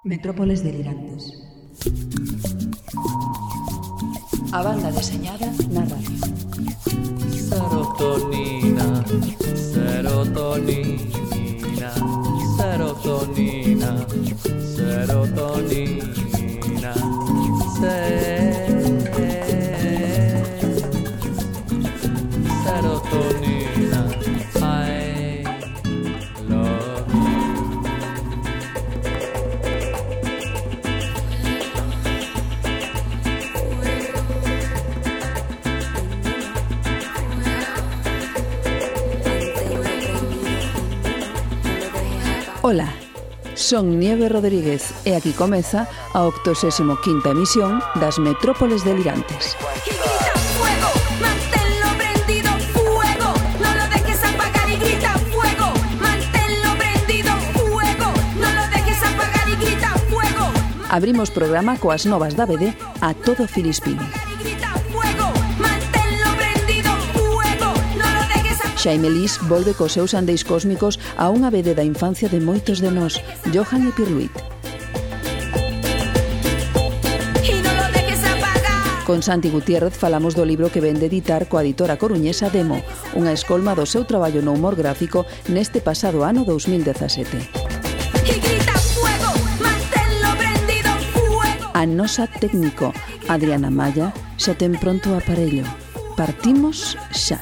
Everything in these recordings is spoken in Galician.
Metrópoles delirantes. A banda deseñada na radio. Serotonina, serotonina, serotonina, serotonina, serotonina, I love you. Ola, son Nieve Rodríguez e aquí comeza a 85ª emisión das Metrópoles delirantes. Abrimos programa coas novas da BD A Todo Filispín. Xaime Lis volve cos seus andeis cósmicos a unha BD da infancia de moitos de nós, Johan e Pierluit. Con Santi Gutiérrez falamos do libro que vende editar coa editora coruñesa Demo, unha escolma do seu traballo no humor gráfico neste pasado ano 2017. A nosa técnico, Adriana Malla, xa ten pronto o aparello. Partimos xa.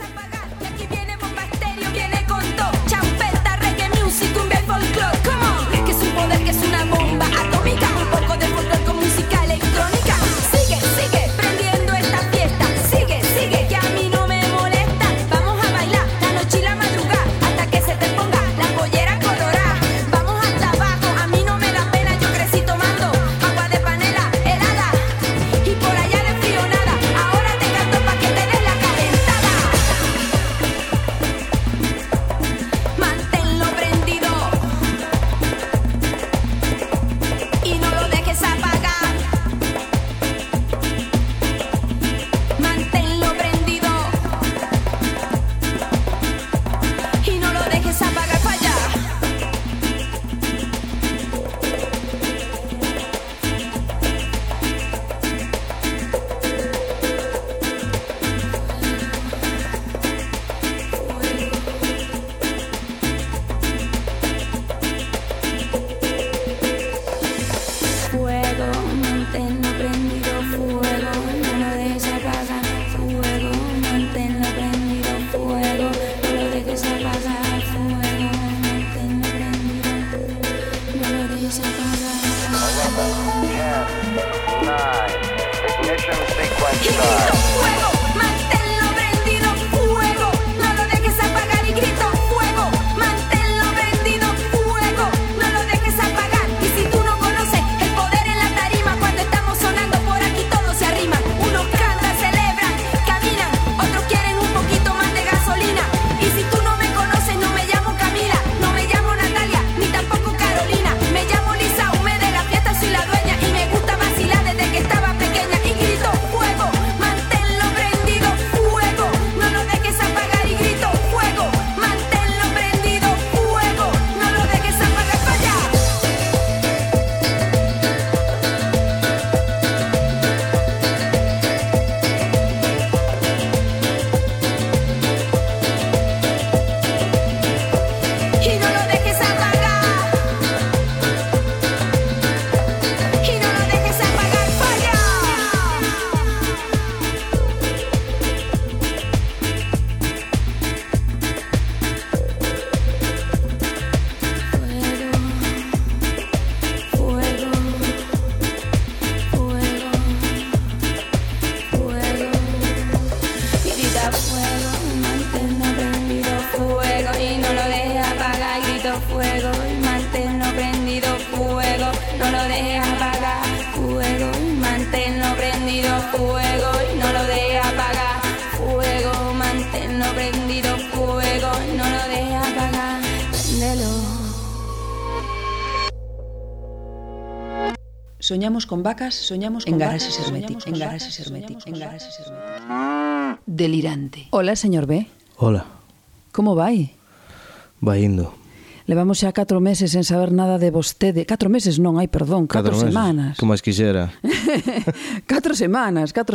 Soñamos con vacas, soñamos con garaxes herméticos, en garaxes herméticos, en garaxes herméticos. Delirante. Hola, señor B. Hola. Como vai? Vai indo. Levamos xa 4 meses sen saber nada de vostede. 4 meses non, 4 semanas. Como máis quixera. 4 semanas, 4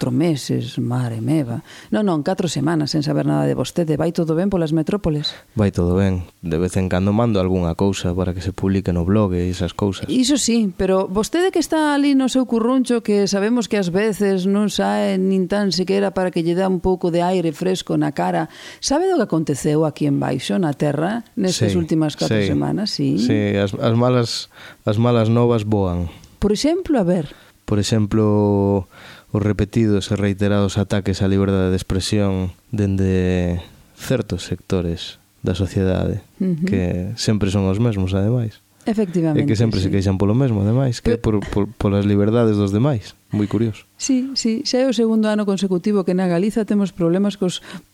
meses, mare meva. Non, 4 semanas sen saber nada de vostede. Vai todo ben polas metrópoles? Vai todo ben. De vez en cando mando algunha cousa para que se publique no blog e esas cousas. Iso sí, pero vostede que está ali no seu curruncho, que sabemos que ás veces non sae nin tan sequera para que lle dá un pouco de aire fresco na cara, sabe do que aconteceu aquí en baixo, na terra, nestas últimas 4 semanas? Sí, as malas novas voan. Por exemplo, a ver... Por exemplo, os repetidos e reiterados ataques á liberdade de expresión dende certos sectores da sociedade, que sempre son os mesmos, ademais. Efectivamente, e que sempre se queixan polo mesmo, ademais, que polas liberdades dos demais. Moi curioso. Sí, xa é o segundo ano consecutivo que na Galiza temos problemas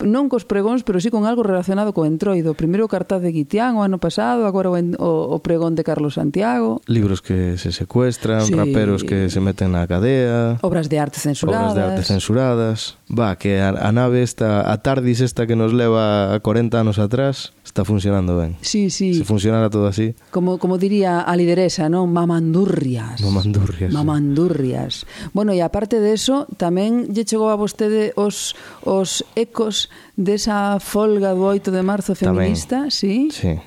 non cos pregóns, pero sí con algo relacionado co entroido. Primeiro o cartaz de Guitián o ano pasado, agora o pregón de Carlos Santiago. Libros que se secuestran, raperos que se meten na cadea. Obras de arte censuradas. Que a nave esta, a TARDIS esta que nos leva a 40 anos atrás, está funcionando ben. Sí. Se funcionara todo así. Como diría a lideresa, non? Mamandurrias. Bueno, e aparte de eso, tamén lle chegou a vostede os ecos desa folga do 8 de marzo feminista, tamén. Sí.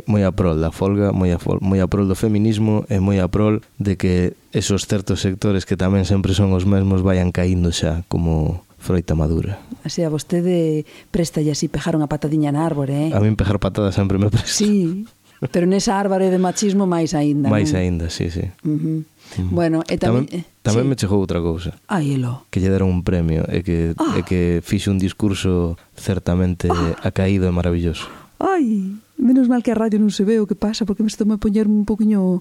Moi a prol da folga, moi a prol do feminismo e moi a prol de que esos certos sectores que tamén sempre son os mesmos vayan caíndo xa como froita madura. Así a vostede préstalle así pejar unha patadiña na árbore, A min pejar patadas sempre me presta. Sí, pero nesa árbore de machismo máis aínda. Máis aínda, sí. Bueno, e tamén me chegou outra cousa. Elo. Que lle deron un premio e que fixe un discurso certamente acaído e maravilloso. Menos mal que a radio non se ve o que pasa, porque me estou a poñer un poquinho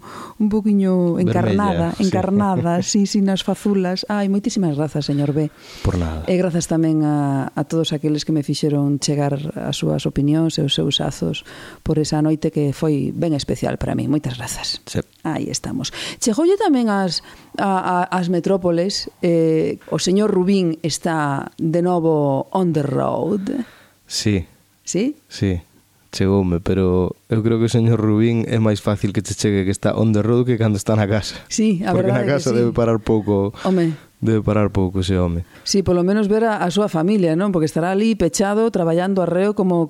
encarnada, sí, nas fazulas. Moitísimas grazas, señor B. Por nada. E grazas tamén a todos aqueles que me fixeron chegar as súas opinións e os seus azos por esa noite que foi ben especial para mí. Moitas grazas. Sí. Aí estamos. Chegoulle tamén as metrópoles. O señor Rubín está de novo on the road. Sí. Sí? Sí. Chegoume, pero eu creo que o señor Rubín é máis fácil que che chegue que está on the road que cando está na casa. Sí, a porque verdade na casa que sí. Debe parar pouco ese home. Sí, polo menos ver a súa familia, non? Porque estará ali pechado, traballando arreo como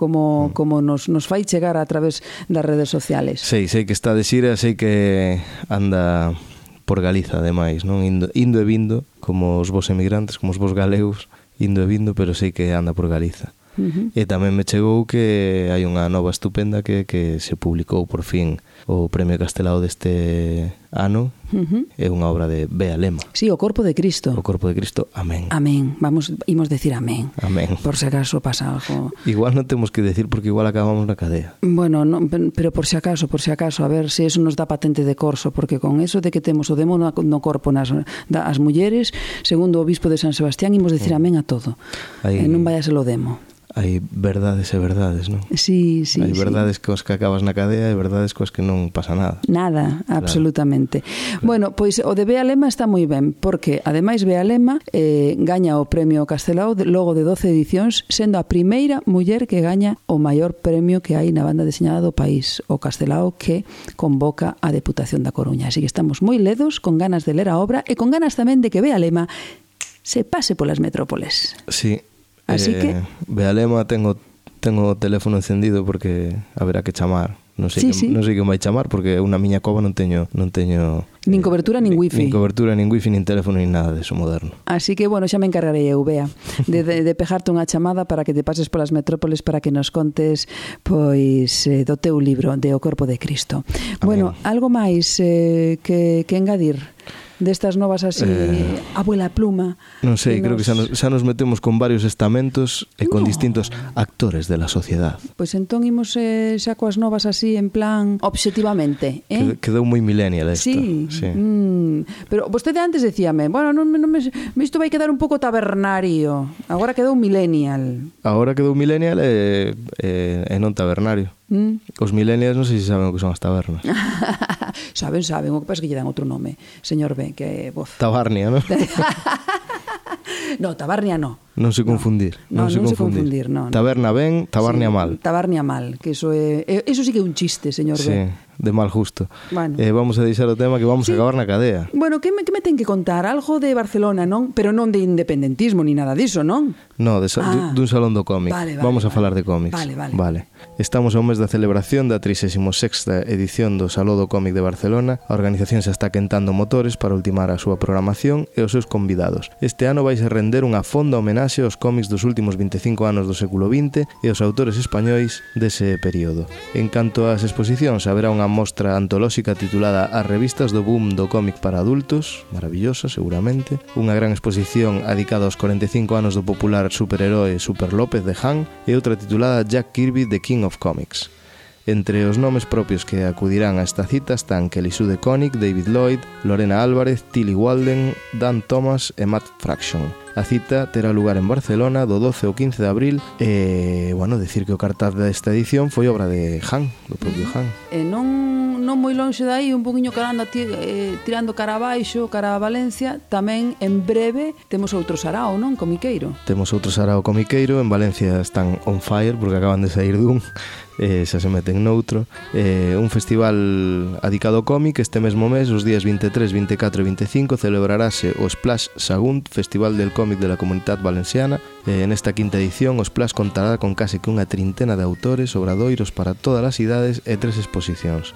nos fai chegar a través das redes sociales. Sei que está de xira, sei que anda por Galiza, ademais, non? Indo e vindo, como os vos emigrantes, como os vos galegos, indo e vindo, pero sei que anda por Galiza. E tamén me chegou que hai unha nova estupenda que se publicou por fin o Premio Castelao deste ano. É unha obra de Bea Lema. Sí, o Corpo de Cristo. O Corpo de Cristo, amén. Amén, imos decir amén. Amén. Por se acaso pasa algo. Igual non temos que decir porque igual acabamos na cadea. Bueno, no, pero por se acaso, a ver se eso nos dá patente de corso, porque con eso de que temos o demo no corpo as mulleres, segundo o obispo de San Sebastián, imos decir amén a todo. Non vayas lo demo. Hai verdades e verdades, non? Sí. Hai verdades coas que acabas na cadea e verdades coas que non pasa nada. Nada, absolutamente. Claro. Bueno, pois o de Bea Lema está moi ben, porque ademais Bea Lema gaña o Premio Castelao logo de 12 edicións, sendo a primeira muller que gaña o maior premio que hai na banda deseñada do país, o Castelao, que convoca a Deputación da Coruña. Así que estamos moi ledos, con ganas de ler a obra e con ganas tamén de que Bea Lema se pase polas metrópoles. Sí. Así que Bea Lema tengo o teléfono encendido porque haberá que chamar. Non sei que vai chamar porque eu na miña cova non teño nin cobertura nin wifi. Nin cobertura nin wifi, nin teléfono, nin nada deso moderno. Así que, bueno, xa me encargarei eu, Bea, de pegarte unha chamada para que te pases polas metrópoles para que nos contes pois do teu libro de O Corpo de Cristo. Amén. Bueno, algo máis que engadir destas novas así, abuela pluma. Non sei, creo que xa nos metemos con varios estamentos e con distintos actores de la sociedade. Pois entón imos xa coas novas así en plan obxectivamente, Quedou moi millennial esta. Sí. Pero vostede antes decíame, bueno, isto vai quedar un pouco tabernario. Agora quedou millennial. Agora quedou millennial e non tabernario. Os millennials non sei se saben o que son as tabernas. Saben, o que pasa é que lle dan outro nome, señor B, que Tabarnia, non? No, Tabarnia no. Non se confundir. Non se confundir, non. Taberna ben, tabarnia mal. Tabarnia mal, que eso sí que é un chiste, señor Sí, B. de mal justo. Bueno. Vamos a deixar o tema que vamos a acabar na cadea. Bueno, que me ten que contar? Algo de Barcelona, non? Pero non de independentismo ni nada diso, non? No, dun salón do cómic. Vale, Vamos a falar de cómics. Vale. Estamos ao mes da celebración da 36ª edición do Salón do Cómic de Barcelona. A organización xa está quentando motores para ultimar a súa programación e os seus convidados. Este ano vais a render unha fonda homenaxe aos cómics dos últimos 25 anos do século XX e aos autores españois dese período. En canto ás exposicións, haberá unha mostra antolóxica titulada As revistas do boom do cómic para adultos, maravillosa seguramente, unha gran exposición adicada aos 45 anos do popular superheroe Super López de Han e outra titulada Jack Kirby, The King of Comics. Entre os nomes propios que acudirán a esta cita están Kelly Sue DeConnick, David Lloyd, Lorena Álvarez, Tilly Walden, Dan Thomas e Matt Fraction. A cita terá lugar en Barcelona do 12 ao 15 de abril e, bueno, decir que o cartaz desta edición foi obra de Han, do propio Han. E non moi lonxe dai, un poquinho carando tirando cara abaixo, cara a Valencia, tamén en breve temos outro sarao, non? Comiqueiro. Temos outro sarao comiqueiro, en Valencia están on fire porque acaban de sair dun, xa se meten noutro. Un festival adicado ao cómic este mesmo mes, os días 23, 24 e 25 celebrarase o Splash Sagunt, Festival del Cómic de la Comunidad Valenciana. Nesta quinta edición o Splash contará con case que unha trintena de autores, obradoiros para todas as idades e 3 exposicións.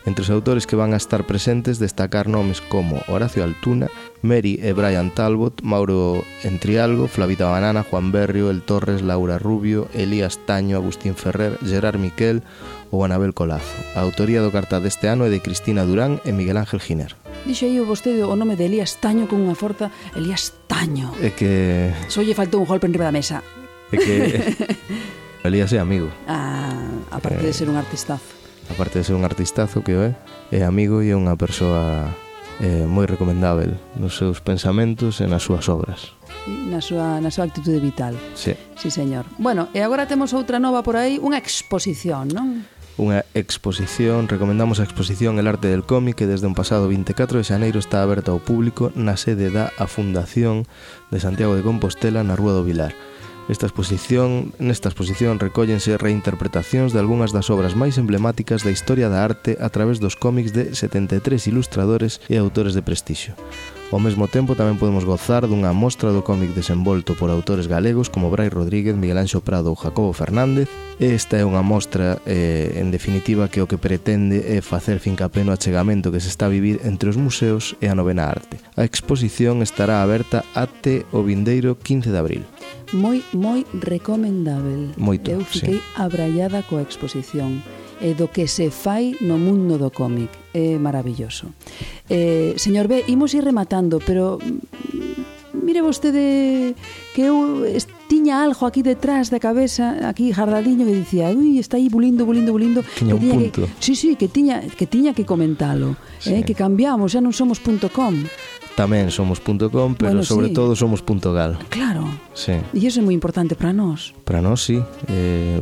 Entre os autores que van a estar presentes destacar nomes como Horacio Altuna, Mary e Brian Talbot, Mauro Entrialgo, Flavita Banana, Juan Berrio, El Torres, Laura Rubio, Elías Taño, Agustín Ferrer, Gerard Miquel ou Anabel Colazo. A autoría do cartaz deste ano é de Cristina Durán e Miguel Ángel Giner. Dixo aí vostede o nome de Elías Taño con unha forza. Elías Taño. É que... Só lle faltou un golpe enriba da mesa. É que... Elías é amigo. Aparte de ser un artistazo. Aparte de ser un artistazo que é amigo e é unha persoa moi recomendável nos seus pensamentos e nas súas obras. Na súa actitude vital. Sí. Sí, señor. Bueno, e agora temos outra nova por aí, unha exposición, non? Unha exposición, recomendamos a exposición El Arte del Cómic, que desde un pasado 24 de xaneiro está aberta ao público na sede da Fundación de Santiago de Compostela na Rúa do Vilar. Nesta exposición recóllense reinterpretacións de algunhas das obras máis emblemáticas da historia da arte a través dos cómics de 73 ilustradores e autores de prestixio. Ao mesmo tempo tamén podemos gozar dunha mostra do cómic desenvolto por autores galegos como Brais Rodríguez, Miguel Anxo Prado ou Jacobo Fernández. Esta é unha mostra, en definitiva, que o que pretende é facer fincapé no achegamento que se está a vivir entre os museos e a novena arte. A exposición estará aberta até o vindeiro 15 de abril. Moi recomendável. Moito, eu fiquei abraiada coa exposición e do que se fai no mundo do cómic. É maravilloso. Señor B, imos ir rematando, pero mire vostede que eu tiña algo aquí detrás da cabeza, aquí jardadiño, que dicía, ui, está aí bulindo. Tiña un punto. Que tiña que comentalo, sí. Que cambiamos, xa non somos .com. Tamén somos .com, pero bueno, sobre sí. todo somos .gal. Claro. Sí. E iso é moi importante para nós. Para nós, sí.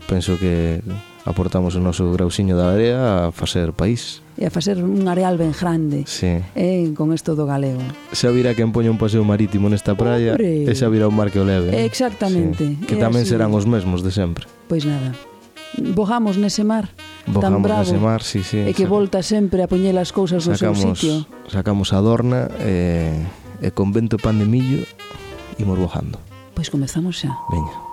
Penso que aportamos o noso grausiño da area a facer país. E a facer un areal ben grande. Sí. Con isto do galego. Xa virá quen poña un paseo marítimo nesta praia. Hombre. E xa virá un mar que o leve. Exactamente. Sí. Que tamén así. serán os mesmos de sempre. Pois nada. Bojamos nese mar tan Bojamos bravo nese mar, sí. e que volta sempre a poñer as cousas no seu sitio. Sacamos a dorna e con vento pan de millo imos bojando. Pois comezamos xa. Veña.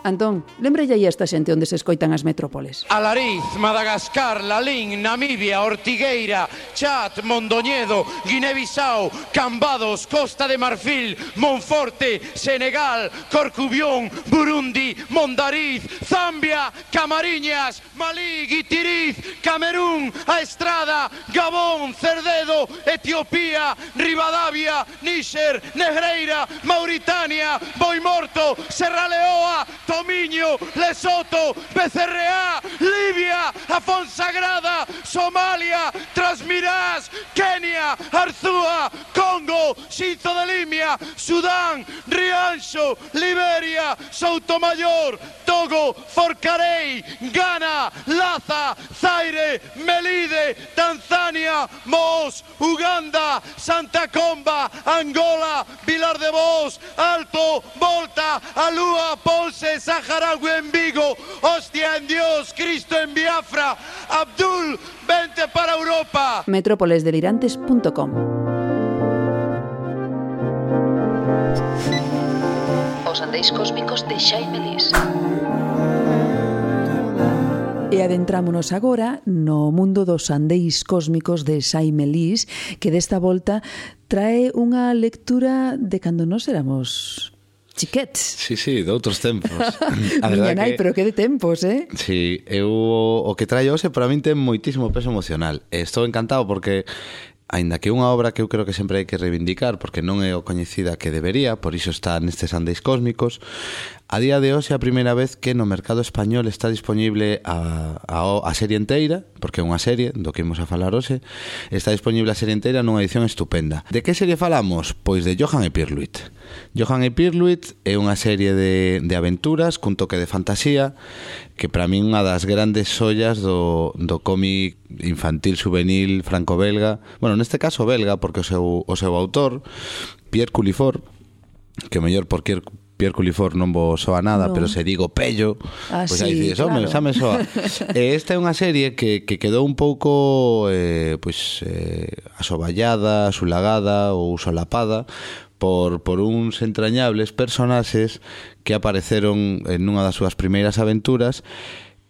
Antón, lembrelle aí esta xente onde se escoitan as metrópoles. Alariz, Madagascar, Lalín, Namibia, Ortigueira, Chad, Mondoñedo, Guinea-Bissau, Cambados, Costa de Marfil, Monforte, Senegal, Corcubión, Burundi, Mondariz, Zambia, Camariñas, Malí, Guitiriz, Camerún, A Estrada, Gabón, Cerdedo, Etiopía, Rivadavia, Níxer, Negreira, Mauritania, Boimorto, Serra Leoa, Tomiño, Lesoto, Becerreá, Libia, Afonsagrada, Somalia, Trasmirás, Kenia, Arzúa, Congo, Xinzo de Limia, Sudán, Rianxo, Liberia, Soutomayor, Togo, Forcarei, Ghana, Laza, Zaire, Zimbabue, Melide, Tanzania, Mos, Uganda, Santa Comba, Angola, Vilar de Vos, Alto, Volta, Alúa, Ponce, Saharaui en Vigo, Hostia en Dios, Cristo en Biafra, Abdul, vente para Europa. Metrópolesdelirantes.com. Os Andeis Cósmicos de Xaime Lís. E adentrámonos agora no mundo dos andeis cósmicos de Xaime Lís, que desta volta trae unha lectura de cando nós éramos chiquetes. Sí, de outros tempos. Miña nai, pero que de tempos, eh? Sí, o que trae hoxe para min ten moitísimo peso emocional. Estou encantado porque aínda que é unha obra que eu creo que sempre hai que reivindicar porque non é o coñecida que debería, por iso está nestes Andeis Cósmicos, a día de hoxe é a primeira vez que no mercado español está disponible a serie inteira, porque é unha serie do que imos a falar hoxe, está disponible a serie inteira nunha edición estupenda. De que serie falamos? Pois de Johan e Pirluit. Johan e Pirluit é unha serie de aventuras cun toque de fantasía que para min unha das grandes sollas do cómic infantil juvenil franco-belga, bueno, neste caso belga porque o seu autor Pierre Cullifort, que mellor por Pierre Cullifort non vos soa nada, no. Pero se digo Pello, pois aí dices, claro. Xa me soa. Esta é unha serie que quedou un pouco asoballada, sulagada ou solapada por uns entrañables personaxes que apareceron en unha das súas primeiras aventuras,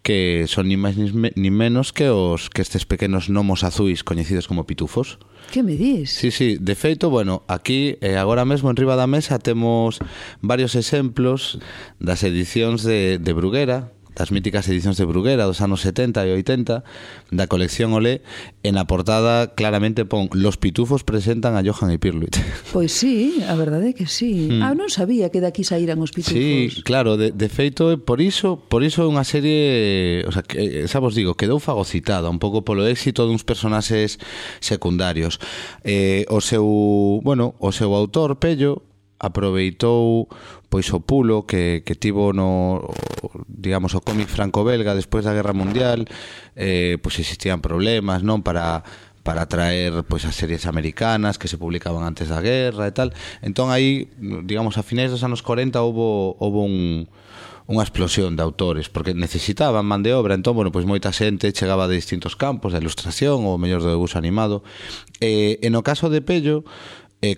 que son ni máis ni menos que estes pequenos gnomos azuis coñecidos como pitufos. Que me dis? Sí, de feito, bueno, aquí agora mesmo en riba da mesa temos varios exemplos das edicións de Bruguera, das míticas edicións de Bruguera dos anos 70 e 80 da colección Olé. En a portada claramente pon "Los pitufos presentan a Johan e Pirluit". Pois sí, a verdade é que sí. Non sabía que daqui saíran os pitufos. Sí, claro, de feito por iso é unha serie, o sea, que, xa vos digo, quedou fagocitada un pouco polo éxito duns personaxes secundarios. O seu autor, Pello, aproveitou pois o pulo que tivo no, digamos, o cómic franco-belga despois da Guerra Mundial. Pois existían problemas, non, para traer pois as series americanas que se publicaban antes da guerra e tal. Entón aí, digamos, a finais dos anos 40 houbo unha explosión de autores porque necesitaban man de obra. Entón, bueno, pois moita xente chegaba de distintos campos, da ilustración ou mellor do debuxo animado. E no caso de Pello,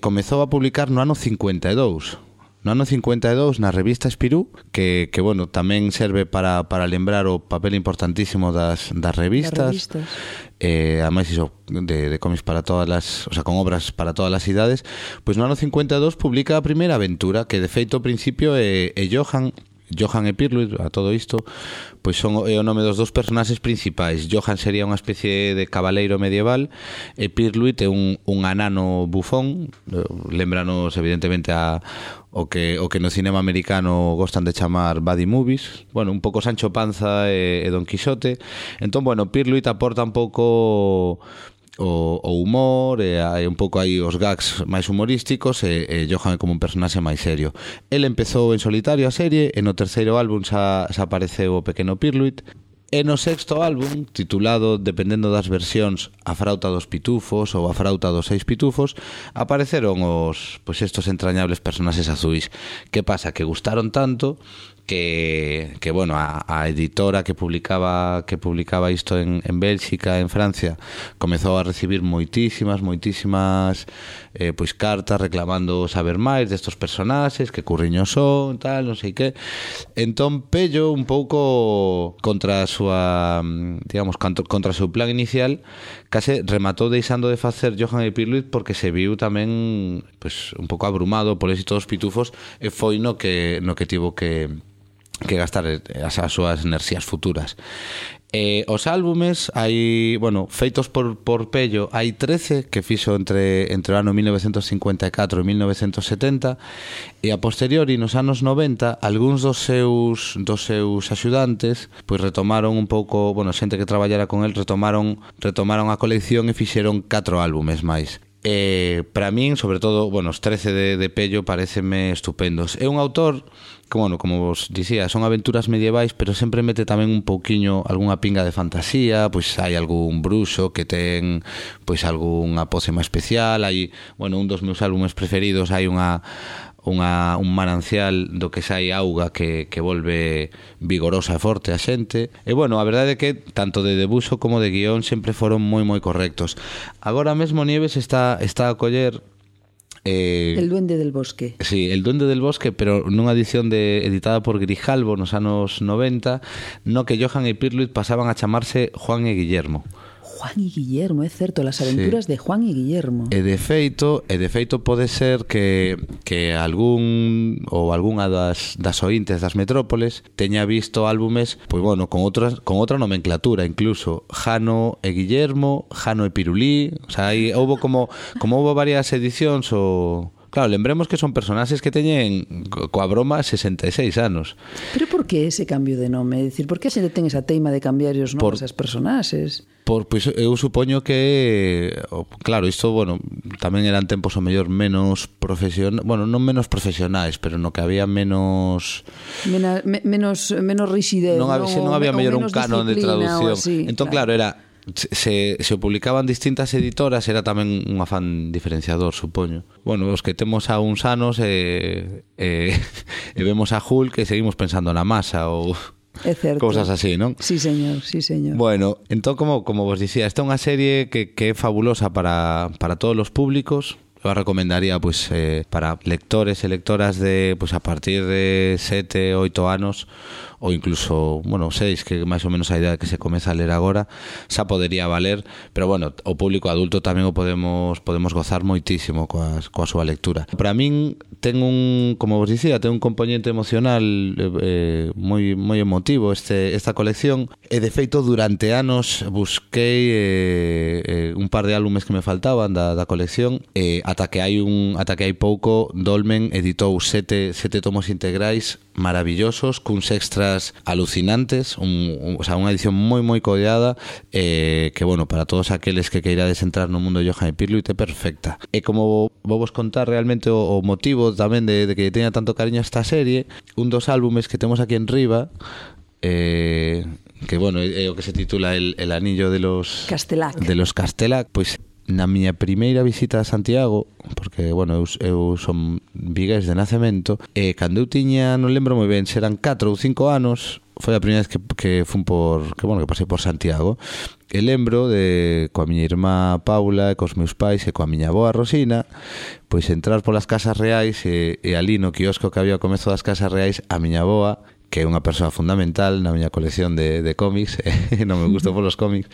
comezou a publicar no ano 52. No ano 52 na revista Espirú, que bueno, tamén serve para lembrar o papel importantísimo das revistas. Ademais iso de cómics para todas las, o sea, con obras para todas as idades. Pois no ano 52 publica a primeira aventura, que de feito ao principio é Johan e Pirluit. A todo isto pois é o nome dos dous personaxes principais. Johan sería unha especie de cabaleiro medieval e Pirluit é un anano bufón. Lembranos evidentemente o que no cinema americano gostan de chamar buddy movies. Bueno, un pouco Sancho Panza e Don Quixote. Entón, bueno, Pirluit aporta un pouco o humor e un pouco aí os gags máis humorísticos e Johan é como un personaxe máis serio. El empezou en solitario a serie e no terceiro álbum xa apareceu o pequeno Pirluit. E no sexto álbum, titulado, dependendo das versións, A frauta dos pitufos ou A frauta dos 6 pitufos, apareceron estos entrañables personaxes azuis. Que pasa? Que gustaron tanto que bueno, a editora que publicaba isto en Bélxica, en Francia, comezou a recibir moitísimas pois cartas reclamando saber máis destos personaxes, que curriños son, tal, non sei que. Entón Pello, un pouco contra a súa, digamos, contra o seu plan inicial, case rematou deixando de facer Johan e Pirluit porque se viu tamén pois un pouco abrumado por éxito dos pitufos e foi no que tivo que gastar as súas enerxías futuras. Os álbumes hai, bueno, feitos por Pello, hai 13 que fixo entre o ano 1954 e 1970, e a posteriori nos anos 90 algúns dos seus axudantes pois retomaron un pouco, bueno, xente que traballara con el retomaron a colección e fixeron 4 álbumes máis. Para min, sobre todo, bueno, os 13 de Pello pareceme estupendos. É un autor que, bueno, como vos dicía, son aventuras medievais, pero sempre mete tamén un pouquiño algunha pinga de fantasía, pois hai algún bruxo que ten pois algunha pócema especial, hai, bueno, un dos meus álbumes preferidos, hai un manancial do que sai auga que volve vigorosa e forte a xente. E bueno, a verdade é que tanto de debuxo como de guión sempre foron moi correctos. Agora mesmo Nieves está a coller El Duende del Bosque. Sí, El Duende del Bosque, pero nunha edición editada por Grijalbo nos anos 90, no que Johan e Pirluit pasaban a chamarse Juan e Guillermo. Juan y Guillermo, é certo, las aventuras de Juan y Guillermo. E de feito pode ser que algunha das ointes das metrópoles teña visto álbumes, pois bueno, con outra nomenclatura, incluso Jano e Guillermo, Jano e Pirulí, o sea, houbo como houbo varias edicións Claro, lembremos que son personaxes que teñen coa broma 66 anos. Pero por que ese cambio de nome? É dicir, por que a xente ten esa teima de cambiar os nomes as personaxes? Pois eu supoño que, claro, isto, bueno, tamén eran tempos o mellor menos non menos profesionais, pero no que había menos rigidez, non había mellor un canon de traducción. Así, entón, claro, era se publicaban distintas editoras, era tamén un afán diferenciador, supoño. Bueno, os que temos a uns anos e vemos a Hulk e seguimos pensando na masa ou cousas así, non? Sí, señor, sí, señor. Bueno, entón, como vos dicía, esta é unha serie que é fabulosa para todos os públicos. Eu a recomendaría pois para lectores e lectoras de pois a partir de 7, 8 anos ou incluso, bueno, 6, que máis ou menos a idea que se comeza a ler agora, xa podería valer, pero bueno, o público adulto tamén o podemos gozar moitísimo coa súa lectura. Para min ten como vos dicía, ten un componente emocional moi emotivo esta colección, e de feito durante anos busquei un par de álbumes que me faltaban da colección, ata que hai pouco Dolmen editou 7 tomos integrais maravillosos, cuns extras alucinantes, o sea, unha edición moi coidada, que, bueno, para todos aqueles que queirades entrar no mundo de Johan e Pirluit é perfecta. E como vou vos contar realmente o motivo tamén de que teña tanto cariño esta serie, un dos álbumes que temos aquí en riba, que, bueno, é o que se titula El anillo de los Castelac, pois na miña primeira visita a Santiago, porque, bueno, eu son vigués de nacemento, e cando eu tiña, non lembro moi ben, serán 4 ou 5 anos, foi a primeira vez que pasei por Santiago, e lembro coa miña irmá Paula e cos meus pais e coa miña avoa Rosina, pois entrar polas casas reais e ali no quiosco que había ao comezo das casas reais, a miña avoa, que é unha persoa fundamental na miña colección de cómics, non me gusto polos cómics,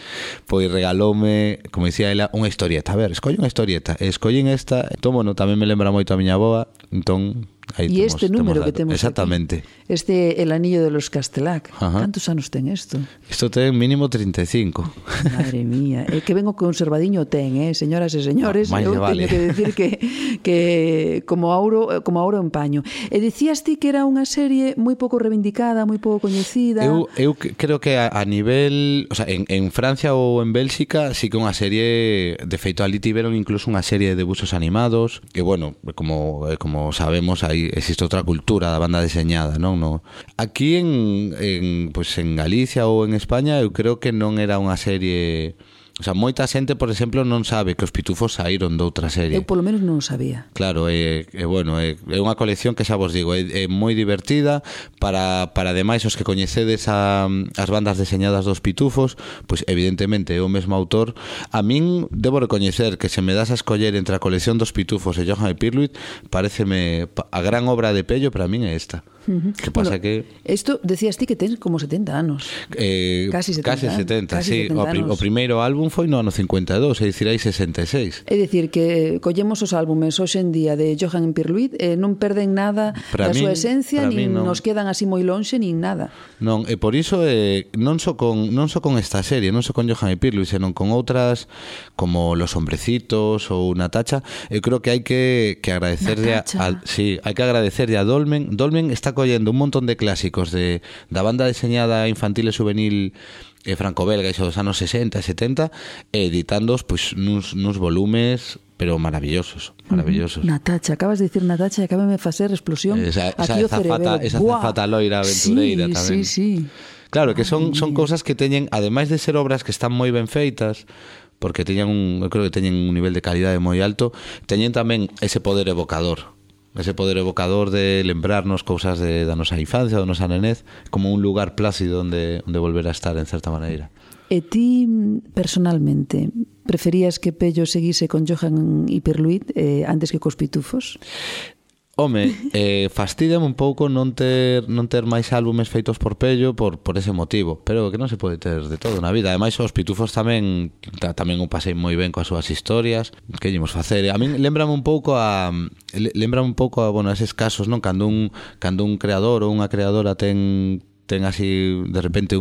pois regaloume, como dicía ela, unha historieta. A ver, escolle unha historieta. Escollín esta, entón, bueno, tamén me lembra moito a miña avoa, entón E este número que temos exactamente aquí, El anillo de los Castelac. Cantos anos ten isto? Isto ten mínimo 35. Madre mía, que ben o conservadiño ten, señoras e señores. Eu teño que decir que como ouro en paño. E dicías ti que era unha serie moi pouco reivindicada, moi pouco coñecida. Eu creo que a nivel, o sea, en Francia ou en Bélxica sí que unha serie, de feito ali tiveron incluso unha serie de debuxos animados, que, bueno, como sabemos, aí existe outra cultura da banda deseñada, non? Aquí en Galicia ou en España eu creo que non era unha serie. O sea, moita xente, por exemplo, non sabe que os Pitufos saíron doutra serie. Eu polo menos non o sabía. Claro, bueno, é unha colección que xa vos digo, é moi divertida para ademais os que coñecedes as bandas deseñadas dos Pitufos, pois evidentemente é o mesmo autor. A min debo recoñecer que se me das a escoller entre a colección dos Pitufos e Johan e Pirluit, pareceme a gran obra de Pello para min é esta. Que pasa que isto decías ti que tens como 70 anos. Casi 70, sí. O primeiro álbum foi no ano 52, é dicir, hai 66. É dicir, que collemos os álbumes hoxe en día de Johan e Pirluit, non perden nada da súa esencia, nin nos quedan así moi lonxe, nin nada. Non, e por iso non só con esta serie, non só con Johan e Pirluit, senón con outras como Los Hombrecitos ou Natacha. Eu creo que hai que agradecerlle hai que agradecerlle a Dolmen. Dolmen está collendo un montón de clásicos da banda deseñada infantil e juvenil franco-belga, iso dos anos 60 e 70, editándoos pois nuns volumes pero maravillosos, maravillosos. Natacha, acabas de dicir Natacha e acábame de facer explosión aquí o cerebelo. Esa zafata loira aventureira tamén. Sí. Claro, que son cousas que teñen, ademais de ser obras que están moi ben feitas, porque eu creo que teñen un nivel de calidade moi alto, teñen tamén ese poder evocador de lembrarnos cousas da nosa infancia, da nosa nenez, como un lugar plácido onde volver a estar, en certa maneira. E ti, personalmente, preferías que Pello seguise con Johan Hiperluit antes que cos Pitufos? Home, fastídame un pouco non ter máis álbumes feitos por Pello por ese motivo, pero que non se pode ter de todo na vida. Ademais, os Pitufos tamén o pasei moi ben coas súas historias. Que ímos facer? A min lembrame un pouco a bueno, eses casos, non? Cando un creador ou unha creadora ten así de repente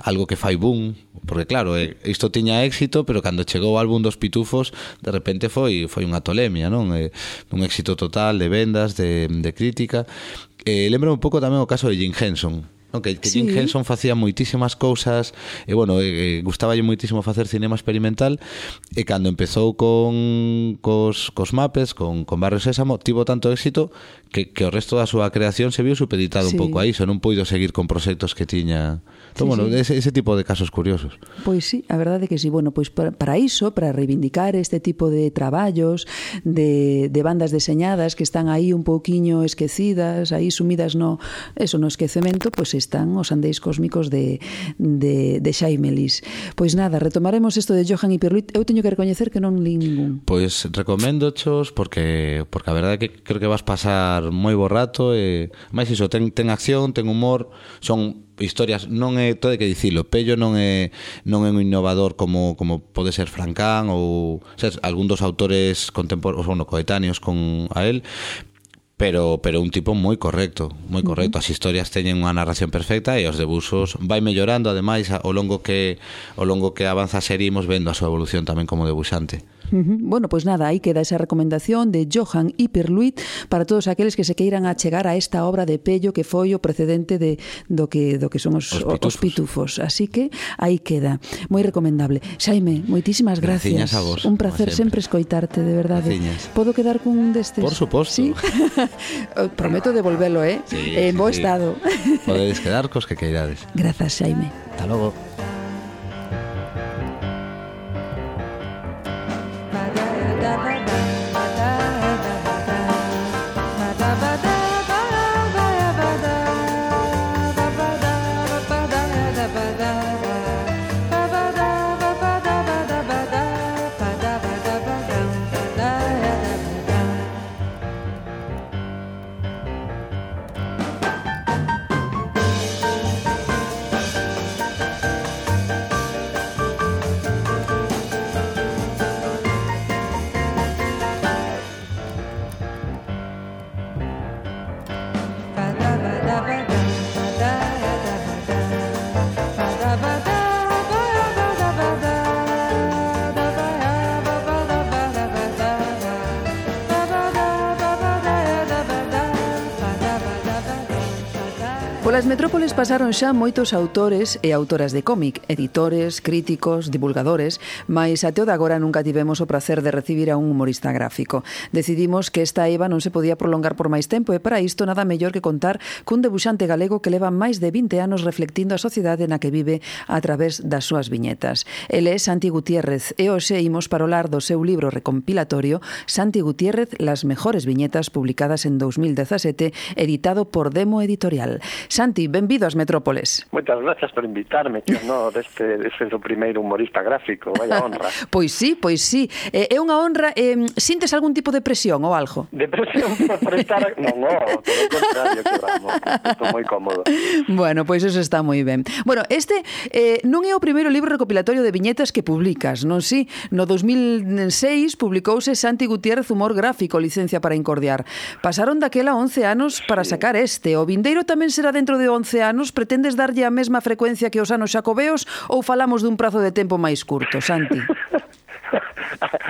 algo que fai boom, porque claro, isto tiña éxito, pero cando chegou o álbum dos Pitufos, de repente foi unha tolemia, non? Un éxito total de vendas, de crítica. Lembra un pouco tamén o caso de Jim Henson, non? Que Jim Henson facía moitísimas cousas e bueno, gustaballe moitísimo facer cinema experimental, e cando empezou cos Muppets, con Barrio Sésamo, tivo tanto éxito que o resto da súa creación se viu supeditado un pouco a iso, non puido seguir con proxectos que tiña. Entón, bueno, ese tipo de casos curiosos. Pois sí, a verdade é que sí. Bueno, pois para iso, para reivindicar este tipo de traballos, de bandas deseñadas que están aí un pouquiño esquecidas, aí sumidas no esquecemento, pois están os Andeis Cósmicos de Xaime Lis. Pois nada, retomaremos isto de Johan Hiperluit. Eu teño que recoñecer que non li ningún. Pois recoméndochos porque a verdade é que creo que vas pasar moi bo rato, e máis iso, ten acción, ten humor, son historias, non é, todo que dicilo, Pello non é un innovador como pode ser Francán ou algún dos autores contemporáneos, coetáneos con a él, pero un tipo moi correcto. As historias teñen unha narración perfecta e os debuxos vai mellorando, ademais, ao longo que avanza a serie, imos vendo a súa evolución tamén como debuxante. Bueno, pois nada, aí queda esa recomendación de Johan Hiperluit para todos aqueles que se queiran achegar a esta obra de Pello que foi o precedente do que son os Pitufos. Así que aí queda, moi recomendable. Xaime, moitísimas gracias. A vos, un placer sempre escoitarte, de verdade. Graciñas. Podo quedar con un destes? Por suposto. ¿Sí? Prometo devolvelo, en bo estado. Podedes quedar cos que queirades. Grazas, Xaime. Hasta logo. Polas metrópoles pasaron xa moitos autores e autoras de cómic, editores, críticos, divulgadores, mais até o de agora nunca tivemos o prazer de recibir a un humorista gráfico. Decidimos que esta eiva non se podía prolongar por máis tempo e para isto nada mellor que contar cun debuxante galego que leva máis de 20 anos reflectindo a sociedade na que vive a través das súas viñetas. Ele é Santi Gutiérrez e hoxe imos parolar do seu libro recompilatorio Santi Gutiérrez, las mejores viñetas, publicadas en 2017, editado por Demo Editorial. Santi, benvido ás Metrópoles. Moitas gracias por invitarme, que honor deste o primeiro humorista gráfico, vaya honra. Pois sí. É unha honra. Sintes algún tipo de presión ou algo? Depresión por estar... Non, todo o contrario, que vamos. Estou moi cómodo. Bueno, pois eso está moi ben. Bueno, este non é o primeiro libro recopilatorio de viñetas que publicas, non si? No 2006 publicouse Santi Gutiérrez, Humor Gráfico, licencia para incordiar. Pasaron daquela 11 anos para sacar este. O vindeiro tamén será dentro de 11 anos. Pretendes darlle a mesma frecuencia que os anos xacobeos ou falamos dun prazo de tempo máis curto, Santi?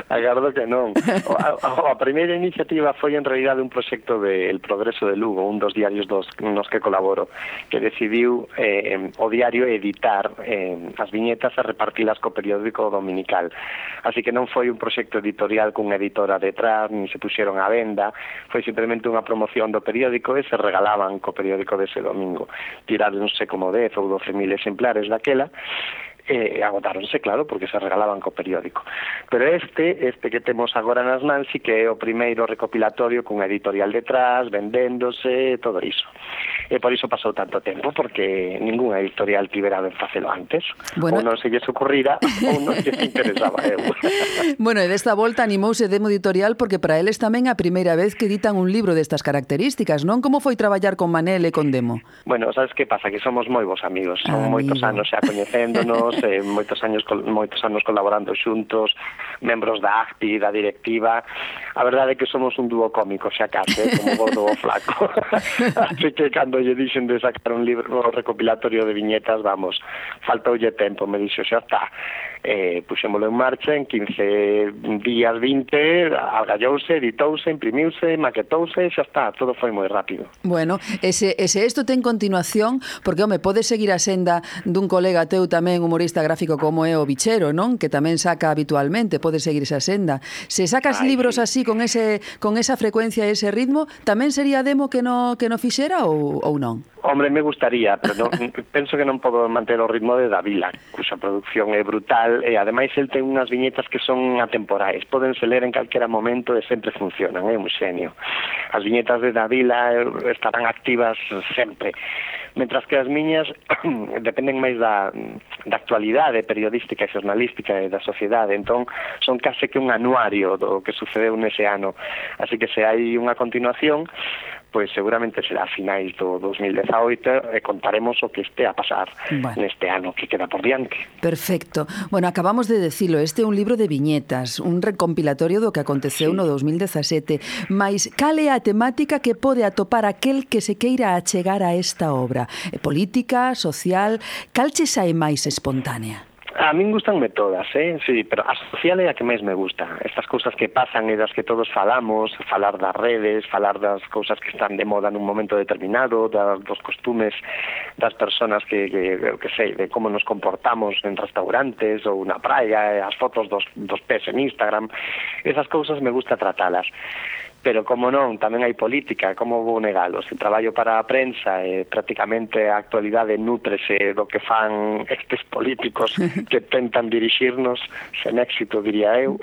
Agardo que non. A primeira iniciativa foi en realidade un proxecto de El Progreso de Lugo, un dos diarios nos que colaboro, que decidiu o diario editar as viñetas e repartilas co periódico dominical. Así que non foi un proxecto editorial cunha editora detrás, nin se puxeron á venda, foi simplemente unha promoción do periódico e se regalaban co periódico dese domingo. Tiráronse como 10 ou 12.000 exemplares daquela, agotáronse, claro, porque se regalaban co periódico. Pero este que temos agora nas mans sí que é o primeiro recopilatorio cunha editorial detrás, vendéndose, todo iso. E por iso pasou tanto tempo, porque ninguna editorial tivera ben facelo antes. Bueno, ou non se lles ocurrira, ou non se interesaba eu. Bueno, e desta volta animouse Demo Editorial porque para eles tamén a primeira vez que editan un libro destas características, non? Como foi traballar con Manel e con Demo? Bueno, sabes que pasa? Que somos moi bons amigos, son moitos anos xa coñecéndonos, moitos anos colaborando xuntos, membros da ACPI, da directiva. A verdade é que somos un dúo cómico, xa case, como gordo ou flaco. Así que cando lle dixen de sacar un libro recopilatorio de viñetas, vamos, faltoulle tempo, me dixo, xa está. Puxémolo en marcha, en 15 días, 20, algallouse, editouse, imprimiuse, maquetouse, xa está, todo foi moi rápido. Bueno, ese isto ten continuación, porque, home, podes seguir a senda dun colega teu tamén humorista gráfico como é o Bichero, non? Que tamén saca habitualmente, podes seguir esa senda. Se sacas libros así, con esa frecuencia e ese ritmo, tamén sería Demo que no fixera ou non? Hombre, me gustaría, pero penso que non podo manter o ritmo de Davila, cuxa produción é brutal, e ademais el ten unhas viñetas que son atemporais, podense ler en calquera momento e sempre funcionan, é un xenio. As viñetas de Davila estarán activas sempre, mentras que as miñas dependen máis da actualidade periodística e xornalística e da sociedade, entón son case que un anuario do que sucedeu nese ano, así que se hai unha continuación, pois seguramente será a finais do 2018 e contaremos o que este a pasar neste ano que queda por diante. Perfecto. Bueno, acabamos de decilo, este é un libro de viñetas, un recompilatorio do que aconteceu no 2017, mais cal é a temática que pode atopar aquel que se queira achegar a esta obra? Política, social, cal che sae máis espontánea? A min gustanme todas, sí, pero a social é a que máis me gusta. Estas cousas que pasan e das que todos falamos, falar das redes, falar das cousas que están de moda nun momento determinado, dos costumes das persoas que sei, de como nos comportamos en restaurantes ou na praia, as fotos dos pés en Instagram, esas cousas me gusta tratalas. Pero como non, tamén hai política, como vou negalo? Se traballo para a prensa e prácticamente a actualidade nútrese do que fan estes políticos que tentan dirixirnos sen éxito, diría eu.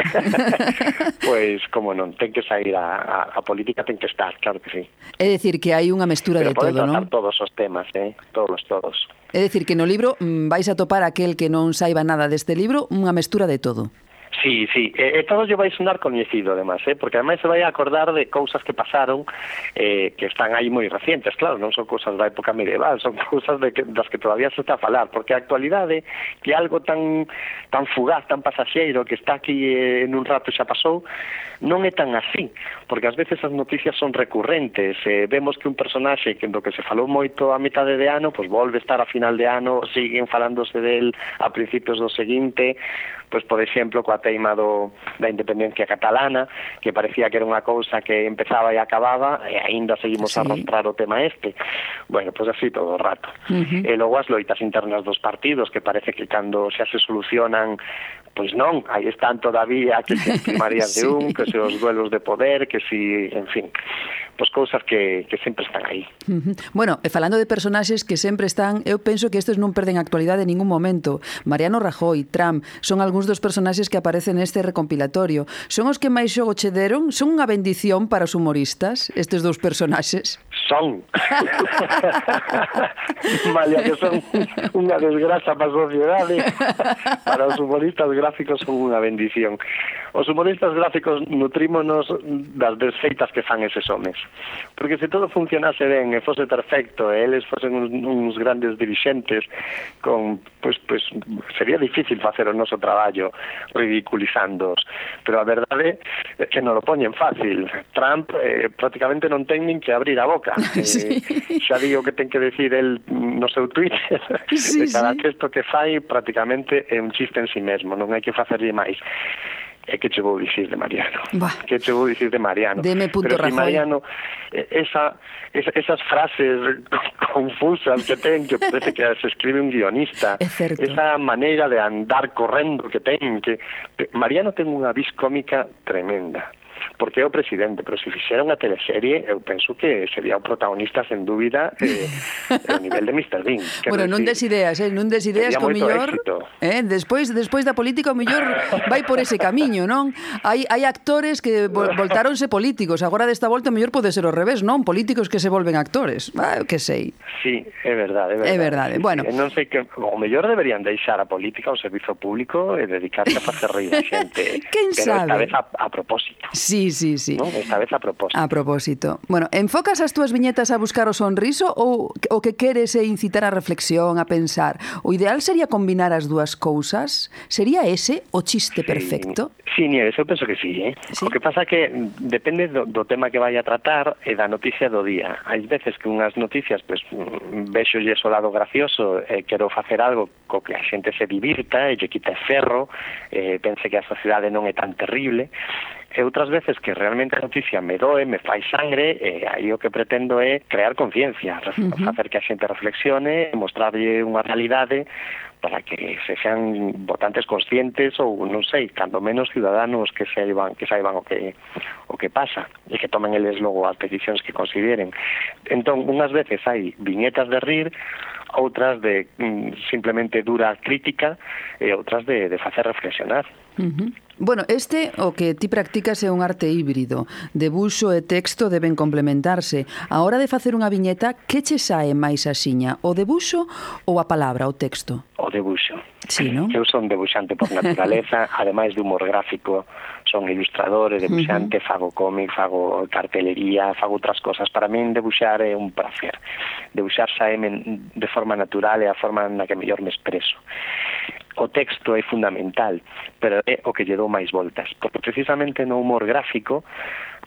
Pois, como non, ten que sair a política, ten que estar, claro que sí. É dicir que hai unha mestura de todo, non? Pero poden tratar todos os temas, todos. É dicir que no libro vais a topar aquel que non saiba nada deste libro, unha mestura de todo. Sí, e todo lle vai sonar coñecido, además, porque además se vai a acordar de cousas que pasaron que están aí moi recientes, claro, non son cousas da época medieval, son cousas das que todavía se está a falar, porque a actualidade, que algo tan fugaz, tan pasaxeiro, que está aquí en un rato xa pasou, non é tan así, porque ás veces as noticias son recurrentes, vemos que un personaxe que do que se falou moito a mitade de ano, pois volve a estar a final de ano, siguen falándose del a principios do seguinte, pois, por exemplo, coa teima da independencia catalana, que parecía que era unha cousa que empezaba e acababa, e aínda seguimos a arrastrar o tema este. Bueno, pois así todo o rato. E logo as loitas internas dos partidos, que parece que cando xa se solucionan, pois non, aí están todavía que se as primarias de un, que se os duelos de poder, que si, en fin, pois cousas que sempre están aí. Bueno, e falando de personaxes que sempre están, eu penso que estes non perden actualidade en ningún momento. Mariano Rajoy, Trump, son algúns dos personaxes que aparecen neste recompilatorio. Son os que máis xogo che deron? Son unha bendición para os humoristas, estes dous personaxes? Son. Malia que son unha desgraza para a sociedade, para os humoristas gráficos son unha bendición. Os humoristas gráficos nutrímonos das desfeitas que fan eses homes. Porque se todo funcionase ben e fose perfecto e eles fosen uns grandes dirixentes, pois sería difícil facer o noso traballo ridiculizándoos. Pero a verdade é que non lo poñen fácil. Trump prácticamente non ten nin que abrir a boca. Xa digo que ten que decir el no seu Twitter de cada texto que fai prácticamente é un chiste en si mesmo, non hai que facerlle máis. E que che vou dicir de Mariano? Bah. Que che vou dicir de Mariano? Deme punto Pero si Rajoy. Mariano, esas frases confusas que ten, que parece que se escribe un guionista, É certo. esa maneira de andar correndo que ten, que Mariano ten unha vis cómica tremenda. Porque é o presidente, pero se fixera unha teleserie, eu penso que sería o protagonista sen dúbida o nivel de Mr. Bean. Bueno, non des ideas, non des ideas sería que o moito millor, éxito. despois da política o millor vai por ese camiño, non? Hai actores que voltáronse políticos, agora desta volta o mellor pode ser ao revés, non? Políticos que se volven actores. Que sei. Sí, é verdade, É verdade. Sí, Bueno. sí. Non sei que o mellor deberían deixar a política, o servizo público e dedicarse a facer reír a xente. Quen pero sabe? esta vez a propósito. Sí. ¿No? Esta vez a propósito. A propósito. Bueno, enfocas as túas viñetas a buscar o sonriso ou o que queres é incitar a reflexión, a pensar? O ideal sería combinar as dúas cousas? Sería ese o chiste perfecto? Sí, Nieves, eu penso que sí, Sí. O que pasa que depende do tema que vai a tratar e da noticia do día. Hai veces que unhas noticias, pues, vexolle o lado gracioso e quero facer algo co que a xente se divirta e lle quita ferro, pense que a sociedade non é tan terrible. E outras veces que realmente a noticia me doe, me fai sangre, e aí o que pretendo é crear conciencia, facer que a xente reflexione, mostrarlle unha realidade para que se sean votantes conscientes ou, non sei, cando menos ciudadanos que saiban o que pasa e que tomen eles logo as decisións que consideren. Entón, unhas veces hai viñetas de rir, outras de simplemente dura crítica e outras de facer reflexionar. Bueno, o que ti practicas é un arte híbrido. Debuxo e texto deben complementarse. A hora de facer unha viñeta, que che sae máis axiña? O debuxo ou a palabra, o texto? O debuxo. Sí, non? Eu son debuxante por naturaleza, ademais de humor gráfico, son ilustrador e debuxante, fago cómic, fago cartelería, fago outras cosas. Para min debuxar é un placer. Debuxar saeme de forma natural é a forma na que mellor me expreso. O texto é fundamental, pero é o que lle dou máis voltas, porque precisamente no humor gráfico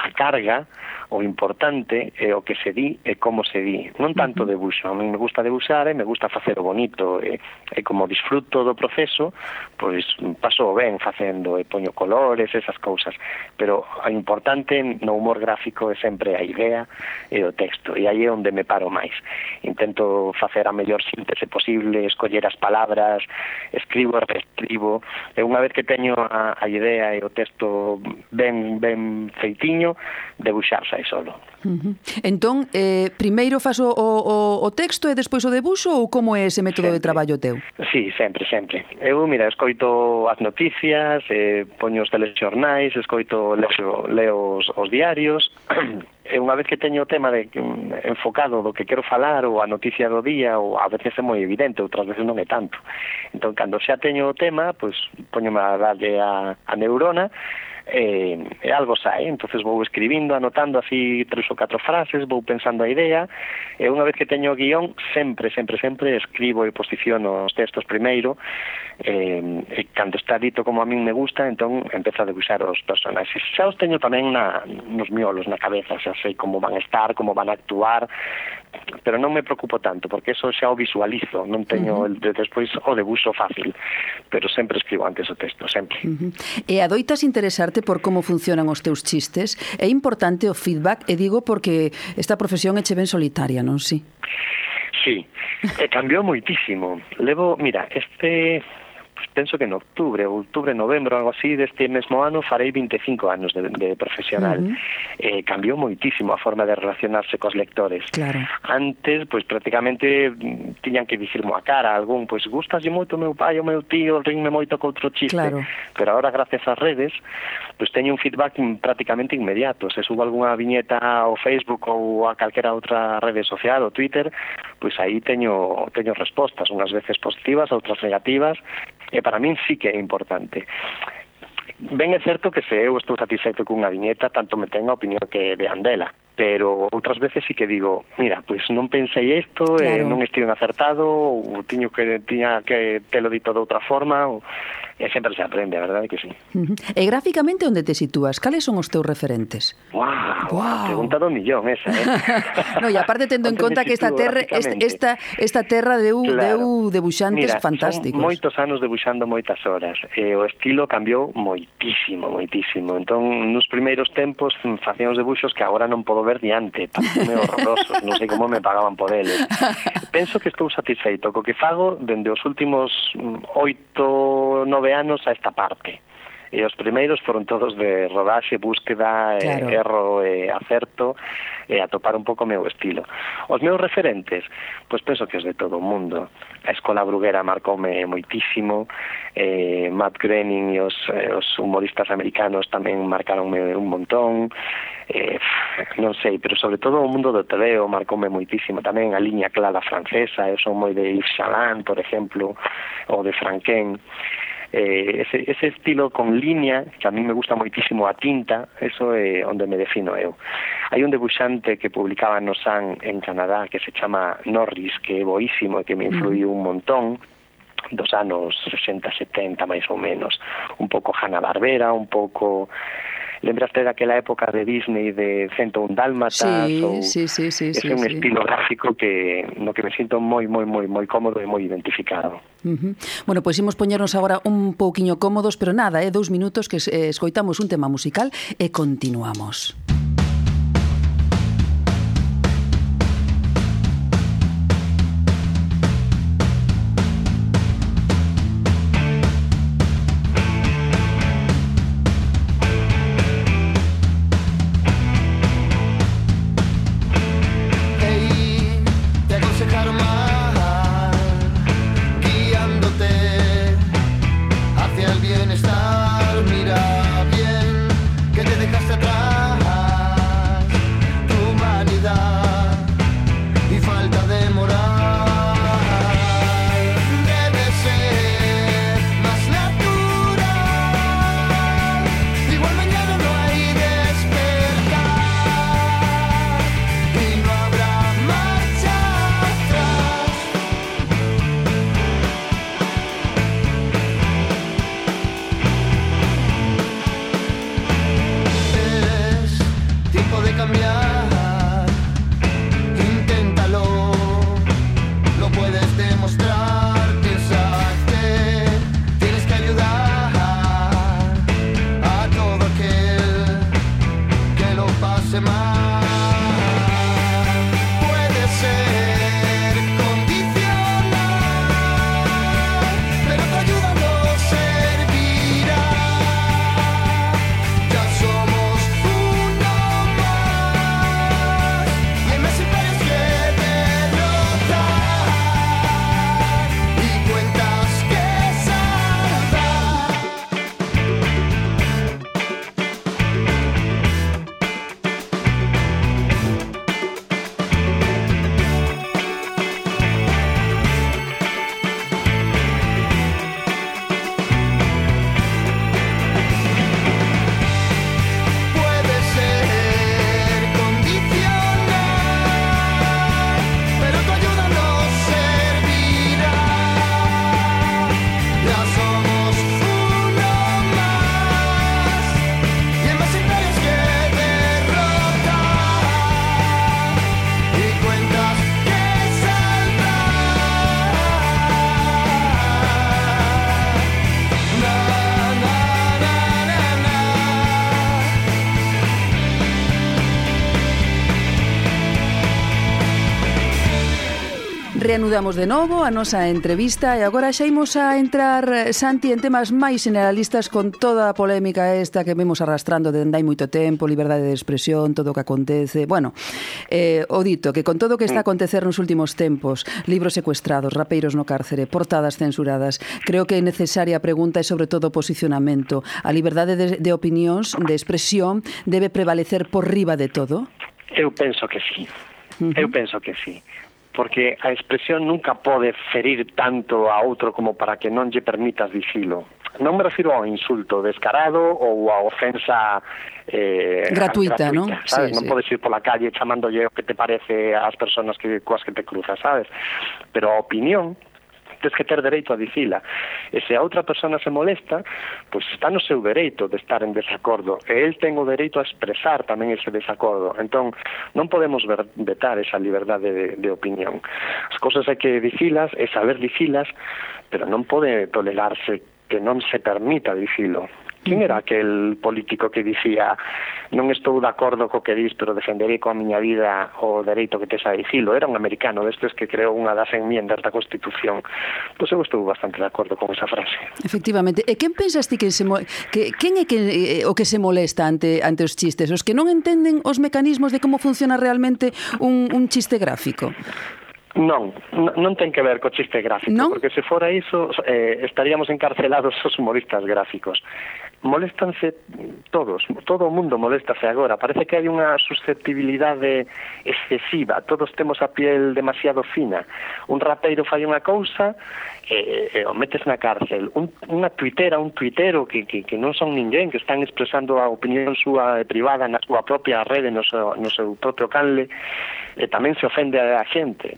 a carga, o importante é o que se di e como se di, non tanto debuxo. A mí me gusta debuxar e me gusta facer o bonito, e como disfruto do proceso, pois paso ben facendo e poño colores, esas cousas, pero o importante no humor gráfico é sempre a idea e o texto, e aí é onde me paro máis. Intento facer a mellor síntese posible, escoller as palabras, escribo e reescribo, e unha vez que teño a idea e o texto ben feitiño, debuxar sai solo. Entón, primeiro fas o texto e despois o debuxo, ou como é ese método de traballo teu? Sí, sempre. Eu, mira, escoito as noticias, poño os telexornais, leo os diarios, e unha vez que teño o tema enfocado do que quero falar, ou a noticia do día, ou a veces é moi evidente, outras veces non é tanto. Entón, cando xa teño o tema, pois poñome a darlle a neurona, e algo sae, entonces vou escribindo, anotando así 3 ou 4 frases, vou pensando a idea, e unha vez que teño o guión, sempre escribo e posiciono os textos primeiro, e cando está dito como a min me gusta, entón empezo a debuxar os personaxes. Xa os teño tamén nos miolos, na cabeza, xa sei como van a estar, como van a actuar, pero non me preocupo tanto, porque eso xa o visualizo, non teño despois o debuxo fácil, pero sempre escribo antes o texto, sempre. E adoitas interesarte por como funcionan os teus chistes? É importante o feedback, e digo porque esta profesión é che ben solitaria, non si? Sí, cambiou moitísimo. Mira, penso que en outubro, novembro, algo así, deste mesmo ano, farei 25 anos de profesional. Cambiou moitísimo a forma de relacionarse cos lectores. Claro. Antes, pois, prácticamente tiñan que dicirmo a cara algún, pois, gustaslle moito o meu pai, o meu tío, rinme moito co outro chiste. Claro. Pero agora, gracias ás redes, pois teño un feedback prácticamente inmediato. Se subo algunha viñeta ao Facebook ou a calquera outra rede social, o Twitter, pois aí teño respostas, unhas veces positivas, outras negativas, e para min sí que é importante. Ben é certo que se eu estou satisfeito cunha viñeta, tanto me ten a opinión que vean dela, pero outras veces sí que digo, mira, pois non pensei isto, claro, non estive acertado, ou tiña que telo dito de outra forma, e sempre se aprende, a verdade que sí. E gráficamente onde te sitúas? Cales son os teus referentes? Guau. Pregunta do millón esa, No, e aparte tendo en conta que esta terra deu debuxantes fantásticos. Son moitos anos debuxando moitas horas. O estilo cambiou moitísimo. Entón, nos primeiros tempos facíamos debuxos que agora non podo ver diante, pareceme horrorosos, non sei como me pagaban por eles. Penso que estou satisfeito co que fago dende os últimos 8-9 anos a esta parte. E os primeiros foron todos de rodaxe, búsqueda, claro, erro e acerto, e atopar un pouco o meu estilo. Os meus referentes, pois penso que os de todo o mundo. A Escola Bruguera marcoume moitísimo, Matt Groening e os humoristas americanos tamén marcaronme un montón, non sei, pero sobre todo o mundo do tebeo marcoume moitísimo, tamén a liña clara francesa, eu son moi de Yves Chaland, por exemplo, ou de Franquin. Ese estilo con línea, que a mí me gusta moitísimo a tinta, eso é onde me defino eu. Hai un debuxante que publicaba no Sun en Canadá que se chama Norris, que é boísimo e que me influiu un montón, dos anos 60-70 máis ou menos, un pouco Hanna-Barbera, un pouco... Lembraste daquela época de Disney de 101 Dálmatas? Sí. É un estilo gráfico no que me sinto moi cómodo e moi identificado. Bueno, pois imos poñernos agora un pouquiño cómodos, pero nada, 2 minutos que escoitamos un tema musical e continuamos. Reanudamos de novo a nosa entrevista e agora xa imos a entrar, Santi, en temas máis generalistas con toda a polémica esta que vemos arrastrando dende hai moito tempo, liberdade de expresión, todo o que acontece. Bueno, o dito, que con todo o que está a acontecer nos últimos tempos, libros secuestrados, rapeiros no cárcere, portadas censuradas, creo que é necesaria a pregunta e sobre todo o posicionamento. A liberdade de opinións, de expresión, debe prevalecer por riba de todo? Eu penso que sí. Eu penso que sí. Porque a expresión nunca pode ferir tanto a outro como para que non lle permitas dicilo. Non me refiro ao insulto descarado ou a ofensa gratuita, non? Sabes? Non podes ir pola calle chamándolle o que te parece ás persoas coas que te cruzas, sabes? Pero a opinión tens que ter dereito a dicila. E se a outra persona se molesta, pois está no seu dereito de estar en desacordo, e el ten o dereito a expresar tamén ese desacordo. Entón, non podemos vetar esa liberdade de opinión. As cousas hai que dicilas e saber dicilas, pero non pode tolerarse que non se permita dicilo. Quen era aquel político que dicía non estou de acordo co que dis, pero defenderei coa miña vida o dereito que tes a dicilo? Era un americano destes que creou unha das enmiendas da Constitución. Pois eu estou bastante de acordo con esa frase. Efectivamente. E quen pensas ti que quen é o que se molesta ante os chistes? Os que non entenden os mecanismos de como funciona realmente un chiste gráfico? Non ten que ver co chiste gráfico, ¿no? Porque se fora iso estaríamos encarcelados os humoristas gráficos. Moléstanse todos, todo o mundo moléstase agora. Parece que hai unha susceptibilidade excesiva, todos temos a piel demasiado fina. Un rapeiro fai unha cousa e o metes na cárcel. Unha tuitera, un tuitero que non son ninguén, que están expresando a opinión súa privada na súa propia rede, no seu propio canle, e tamén se ofende a xente.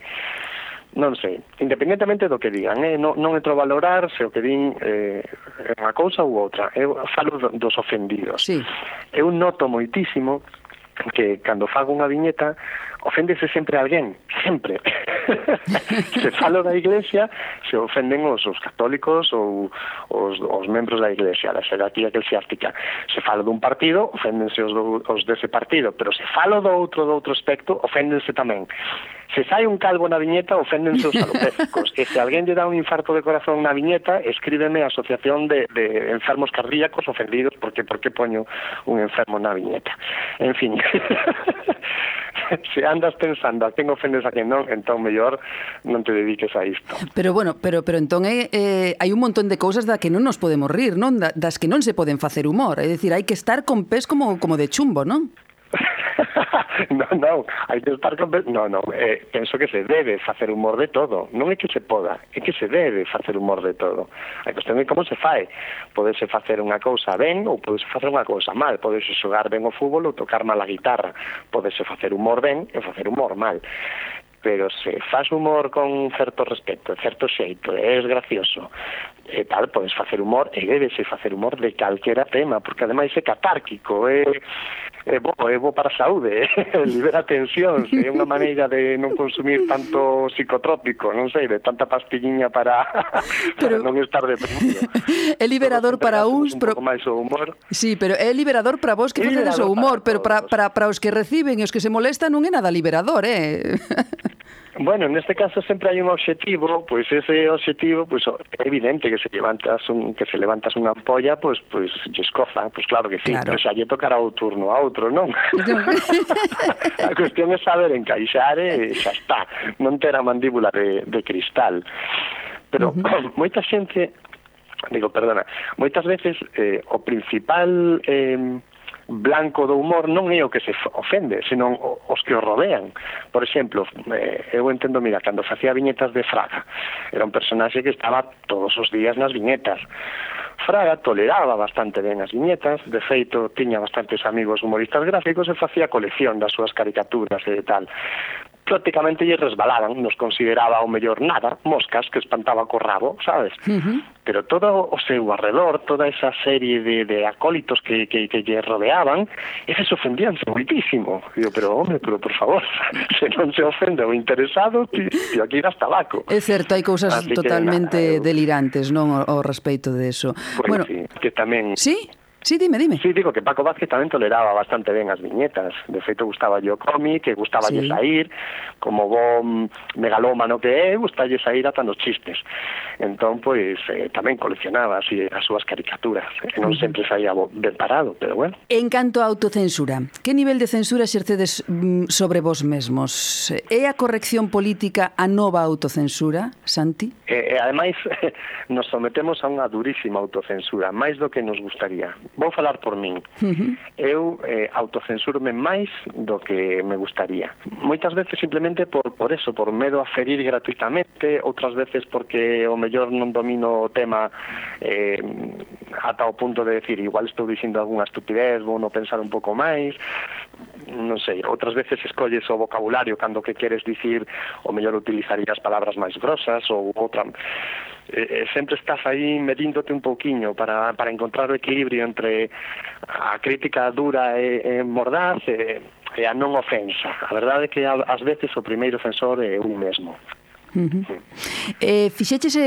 Non sei, independentemente do que digan, non entro a valorar se o que din é unha cousa ou outra. Eu falo dos ofendidos. Sí. Eu noto moitísimo que cando fago unha viñeta oféndese sempre alguén, sempre. Se falo da Iglesia, se ofenden os católicos ou os membros da Iglesia, da xerarquía eclesiástica. Se falo dun partido, oféndense os dese partido, pero se falo do outro aspecto, oféndense tamén. Se sai un calvo na viñeta, oféndense os alopécicos. E se alguén lle dá un infarto de corazón na viñeta, escríbeme a Asociación de Enfermos Cardíacos Ofendidos, porque por que poño un enfermo na viñeta. En fin, se andas pensando a quen ofendes a quen non, entón mellor non te dediques a isto. Pero bueno, pero entón hai un montón de cousas da que non nos podemos rir, non? Das que non se poden facer humor. É dicir, hai que estar con pés como de chumbo, non? Non, hai que estar con... penso que se debe facer humor de todo. Non é que se poda, é que se debe facer humor de todo. A cuestión é como se fai. Podese facer unha cousa ben ou podese facer unha cousa mal. Podese xogar ben o fútbol ou tocar mal a guitarra. Podese facer humor ben e facer humor mal. Pero se faz humor con certo respeto, certo xeito, és gracioso e tal, podes facer humor e debese facer humor de calquera tema, porque ademais é catárquico, é bo para a saúde, libera tensións, é unha maneira de non consumir tanto psicotrópico, non sei, de tanta pastilliña para non estar deprimido. É liberador para uns, pero un pouco máis o humor. Sí, pero é liberador para vos que facedes o humor, pero para os que reciben e os que se molestan non é nada liberador, Bueno, neste caso sempre hai un obxectivo, pois ese obxectivo, pois é evidente que se levantas unha ampolla, pois lle escoza, pois claro que sí, claro. Pero xa lle tocará o turno a outro, non? A cuestión é saber encaixar e xa está, non ter a mandíbula de cristal. Pero moita xente, moitas veces o principal blanco do humor non é o que se ofende, senón os que o rodean. Por exemplo, eu entendo, mira, cando facía viñetas de Fraga, era un personaxe que estaba todos os días nas viñetas. Fraga toleraba bastante ben as viñetas, de feito, tiña bastantes amigos humoristas gráficos e facía colección das súas caricaturas e tal. Prácticamente lle resbalaban, nos consideraba o mellor nada, moscas que espantaba co rabo, sabes? Pero todo o seu arredor, toda esa serie de acólitos que lle rodeaban, eses ofendíanse moitísimo. Digo, pero por favor, se non se ofende o interesado, tío, aquí das tabaco. É certo, hai cousas totalmente delirantes, non, ao respeito de eso. Pues bueno, sí, que tamén... Sí? Sí, dime. Sí, digo que Paco Vázquez tamén toleraba bastante ben as viñetas. De feito, gustaba o cómic, que gustaba sair, como bo megalómano que é, gustaba sair ata nos chistes. Entón, pois, tamén coleccionaba así as súas caricaturas. Non sempre saía ben parado, pero bueno. En canto a autocensura, que nivel de censura exercedes sobre vos mesmos? É a corrección política a nova autocensura, Santi? Ademais, nos sometemos a unha durísima autocensura, máis do que nos gustaría. Vou falar por min. Eu autocensurme máis do que me gustaría. Moitas veces simplemente por eso, por medo a ferir gratuitamente, outras veces porque o mellor non domino o tema ata o punto de decir, igual estou dicindo algunha estupidez, vou non pensar un pouco máis, non sei, outras veces escolles o vocabulario cando que queres dicir, o mellor utilizarías palabras máis grosas ou outra. Sempre estás aí medíndote un pouquiño para encontrar o equilibrio entre a crítica dura e mordaz e a non ofensa. A verdade é que ás veces o primeiro ofensor é un mesmo. Fixeches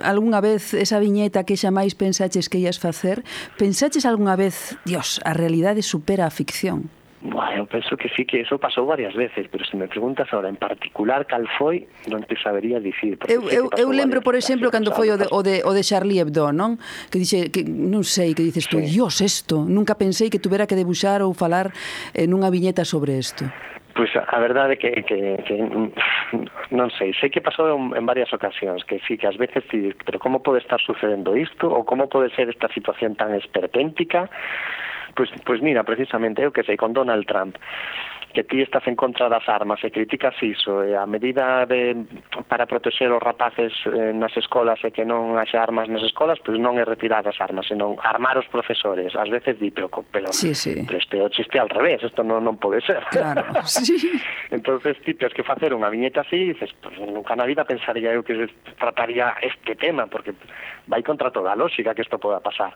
algunha vez esa viñeta que xa máis pensaches que ias facer? Pensaches algunha vez, Dios, a realidade supera a ficción? Bueno, penso que sí, que eso pasou varias veces, pero se me preguntas ahora en particular cal foi, non te sabería dicir. Eu lembro, por exemplo, cando foi o de Charlie Hebdo, non? Que dixe, que non sei, que dices tú, Dios, isto, nunca pensei que tuvera que debuxar ou falar nunha viñeta sobre isto. Pois a verdade é que non sei que pasou en varias ocasións, que sí, que ás veces pero como pode estar sucedendo isto, ou como pode ser esta situación tan esperpéntica. Pois mira, precisamente, eu que sei, con Donald Trump, que ti estás en contra das armas e criticas iso, e a medida para protexer os rapaces nas escolas e que non haxa armas nas escolas, pois non é retirar as armas, senón armar os profesores. Ás veces di, pero sí. Pero este o chiste al revés, isto non pode ser. Claro, sí. Entonces ti tens que facer unha viñeta así e dices, pues, nunca na vida pensaría eu que trataría este tema, porque vai contra toda a lógica que isto poda pasar.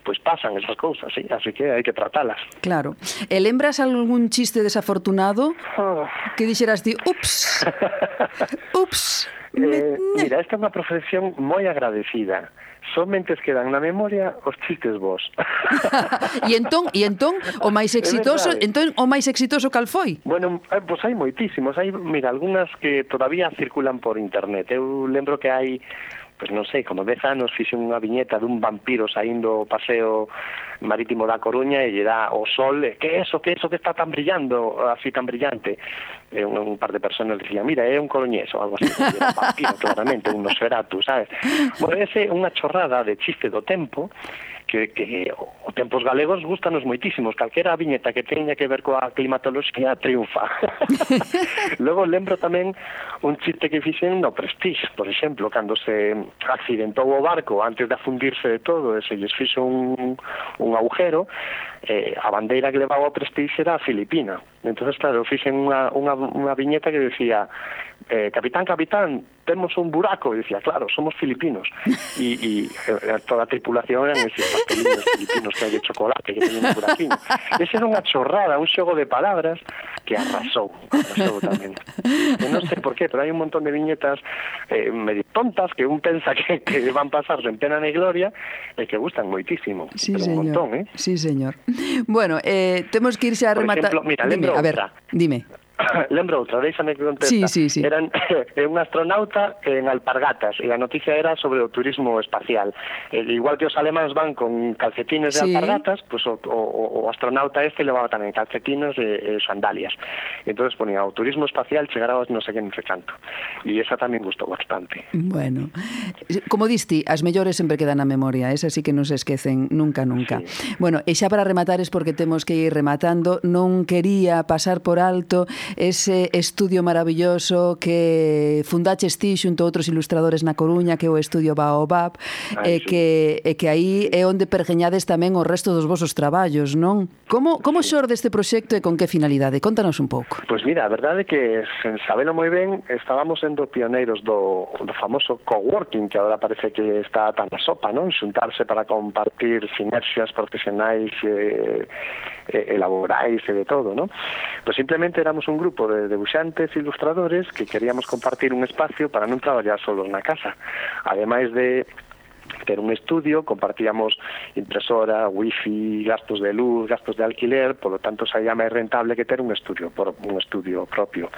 Pois pasan esas cousas, sí, así que hai que tratalas. Claro. E lembras algún chiste desafortunado que dixeras ti, ups, mira, esta é unha profesión moi agradecida. Somente quedan na memoria os chistes vos. E entón o máis exitoso, cal foi? Bueno, pois hai moitísimos, mira, algunhas que todavía circulan por internet. Eu lembro que hai, pois non sei, como 10 anos fixen unha viñeta dun vampiro saindo o paseo marítimo da Coruña e lle dá o sol, que é eso que está tan brillando, así tan brillante. E un par de personas dicían, mira, é un coruñés ou algo así, era un vampiro, claramente, un Nosferatu, sabes? Bueno, ese é unha chorrada de chiste do tempo, que o tempos galegos gustanos moitísimos, calquera viñeta que teña que ver coa climatoloxía triunfa. Logo lembro tamén un chiste que fixen no Prestige, por exemplo, cando se accidentou o barco antes de afundirse de todo e se lles fixo un agujero, a bandeira que levaba o Prestige era a Filipina. Entonces, claro, fixen unha viñeta que decía, capitán, temos un buraco, e dicía, claro, somos filipinos. E toda a tripulación eran esos pastelinos filipinos que hai de chocolate, que teñen un buraquinho. Esa era unha chorrada, un xogo de palabras que arrasou tamén. E non sei por qué, pero hai un montón de viñetas medio tontas que un pensa que van pasar sen pena ni gloria e que gustan moitísimo. Sí, pero señor. Un montón, Sí, señor. Bueno, temos que irse a rematar. Por ejemplo, mira, lembro outra. Dime. Lembro outra, déxame que contesta. Sí. Eran un astronauta en alpargatas e a noticia era sobre o turismo espacial. Igual que os alemáns van con calcetines de alpargatas, pues o astronauta levaba tamén calcetines e sandalias. Entonces ponía, o turismo espacial chegará aos non sei que non sei canto. E esa tamén gustou bastante. Bueno, como diste, as mellores sempre quedan na memoria, esas sí que non se esquecen nunca. Sí. Bueno, e xa para rematar es porque temos que ir rematando, non quería pasar por alto ese estudio maravilloso que fundaches ti xunto a outros ilustradores na Coruña, que é o estudio Baobab, que aí é onde pergeñades tamén o resto dos vosos traballos, non? Como xorde este proxecto e con que finalidade? Contanos un pouco. Pois mira, a verdade é que, sen sabelo moi ben, estábamos sendo pioneiros do famoso coworking, que agora parece que está tan na sopa, non? Xuntarse para compartir sinerxias profesionais e laborais e de todo, non? Pois simplemente éramos un grupo de debuxantes e ilustradores que queríamos compartir un espacio para non traballar solos na casa. Ademais de ter un estudio, compartíamos impresora, wifi, gastos de luz, gastos de alquiler, polo tanto saía máis rentable que ter un estudio propio.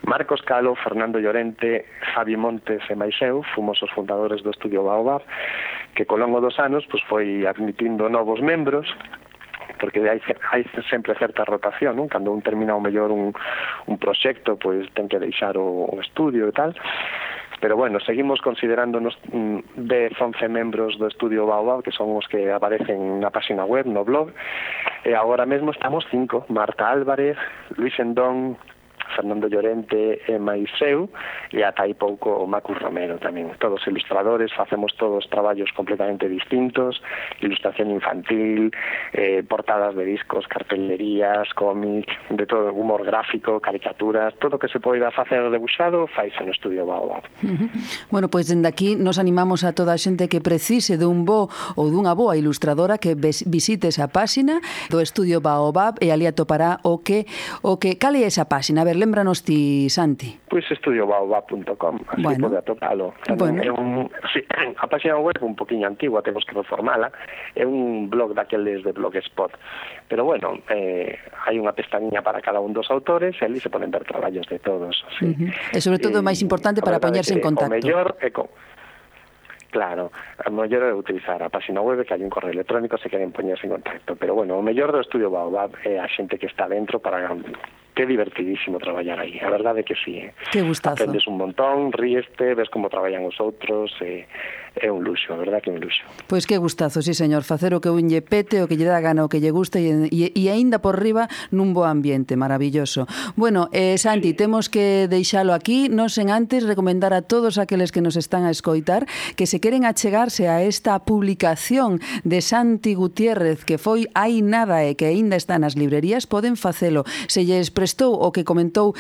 Marcos Calo, Fernando Llorente, Javi Montes e máis eu fomos os fundadores do estudio Baobab, que co longo dos anos foi admitindo novos membros, porque hai sempre certa rotación, non? Cando un termina o mellor un proxecto, pois ten que deixar o estudio e tal. Pero bueno, seguimos considerándonos 10-11 membros do estudio Baobab, que son os que aparecen na página web, no blog, e agora mesmo estamos 5, Marta Álvarez, Luis Endón, Fernando Llorente e máis eu, e ata aí pouco o Macus Romero tamén. Todos ilustradores, facemos todos traballos completamente distintos, ilustración infantil, portadas de discos, cartelerías, cómic, de todo, humor gráfico, caricaturas, todo o que se poida facer debuxado, faise no Estudio Baobab. Bueno, pois dende aquí nos animamos a toda a xente que precise dun bo ou dunha boa ilustradora que visite esa páxina do Estudio Baobab e ali atopará o que cal é esa páxina? A ver, lembranos ti, Santi. Pois estudiobaobab.com, así bueno, pode atopalo. Bueno. É a página web un poquinho antigua, temos que reformala, é un blog daqueles de Blogspot, pero bueno, hai unha pestaña para cada un dos autores e ali se poden ver traballos de todos. Sí. E sobre todo o máis importante para poñerse en contacto. O mellor é claro, o mellor é utilizar a página web, que hai un correo electrónico se queren poñerse en contacto, pero bueno, o mellor do Estudio Baobab é a xente que está dentro para que é divertidísimo traballar aí, a verdade é que sí. Que gustazo. Aprendes un montón, ríeste, ves como traballan os outros, é un luxo, a verdade que é un luxo. Pois que gustazo, sí señor, facer o que un lle pete, o que lle dá gana, o que lle gusta e aínda por riba nun bo ambiente, maravilloso. Bueno, Santi, temos que deixalo aquí, non sen antes recomendar a todos aqueles que nos están a escoitar que se queren achegarse a esta publicación de Santi Gutiérrez que foi hai nada e que aínda está nas librerías, poden facelo. Se lles prestou o que comentou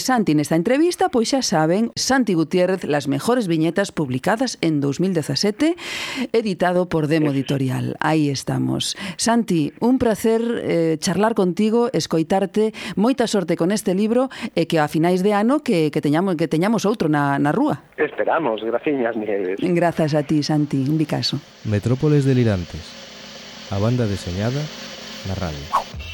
Santi nesta entrevista, pois xa saben, Santi Gutiérrez, las mejores viñetas publicadas en 2017, editado por Demo Editorial. Aí estamos. Santi, un placer charlar contigo, escoitarte, moita sorte con este libro e que a finais de ano que teñamos outro na rúa. Esperamos, graciñas, Nieves. Grazas a ti, Santi, un bicaso. Metrópoles delirantes, a banda deseñada na radio.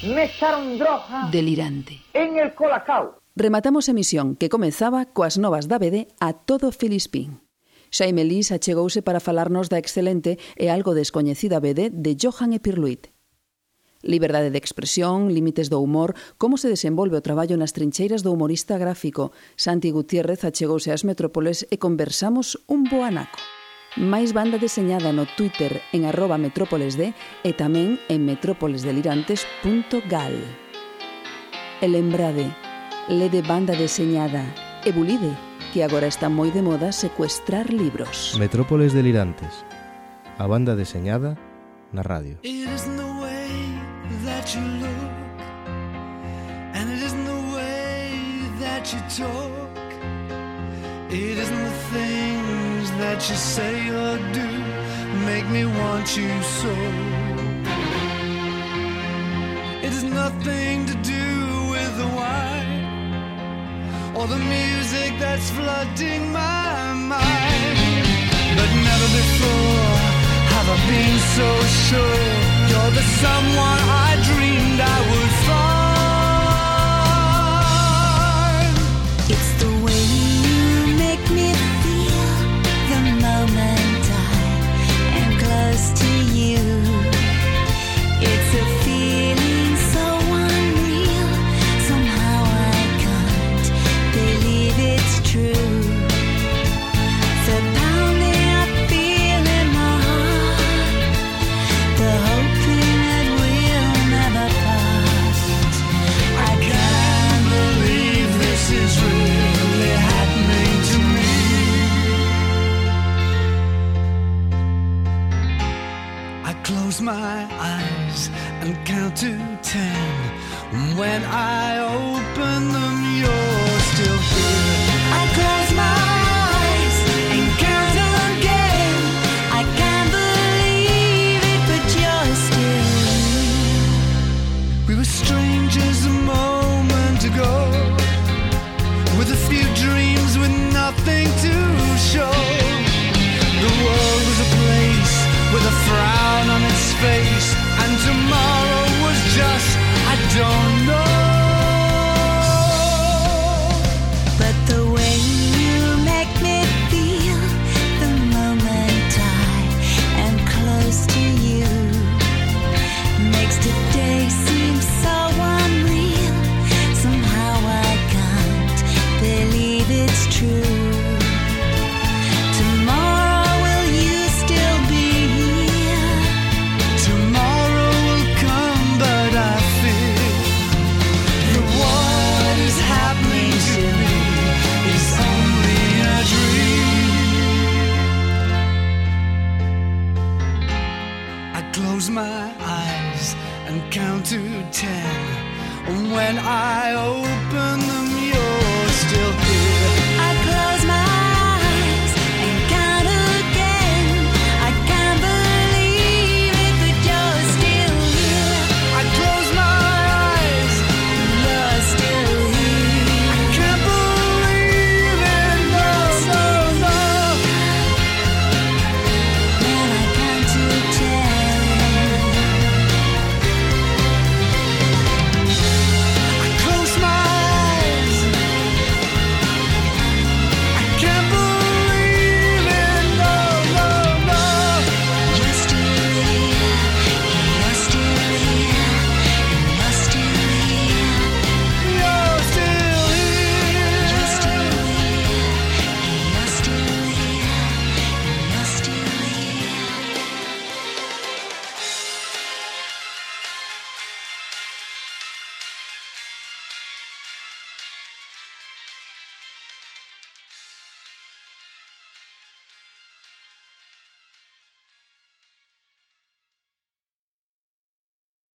Me echaron droga Delirante. en el Colacao. Rematamos emisión que comezaba coas novas da BD a todo Filispín. Xaime Lís achegouse para falarnos da excelente e algo descoñecida BD de Johan Epirluit. Liberdade de expresión, límites do humor, como se desenvolve o traballo nas trincheiras do humorista gráfico. Santi Gutiérrez achegouse ás metrópoles e conversamos un bo anaco. máis banda deseñada no Twitter en @metrópolesd e tamén en metrópolesdelirantes.gal. E lembrade, lede banda deseñada e bulide, que agora está moi de moda secuestrar libros. Metrópoles delirantes, a banda deseñada na radio. It isn't the way that you look, and it isn't the way that you talk. It isn't the things that you say or do make me want you so. It has nothing to do with the wine or the music that's flooding my mind. But never before have I been so sure you're the someone I dreamed I would find. It's the way you make me feel the moment I am close to you. It's a feeling so unreal, somehow I can't believe it's true. The pounding I feel in my heart, the hoping that we'll never part. I can't believe this is really happening to me. I close my eyes and count to 10. When I open them, you're still here. I close my eyes and count again. I can't believe it, but you're still here. We were strangers a moment ago, with a few dreams with nothing to show. The world was a place with a frown on its face, and tomorrow was just, I don't know. But the way you make me feel the moment I am close to you makes today seem so unreal. Somehow I can't believe it's true. Tomorrow will you still be here? Tomorrow will come and count to 10. And when I open them, you're still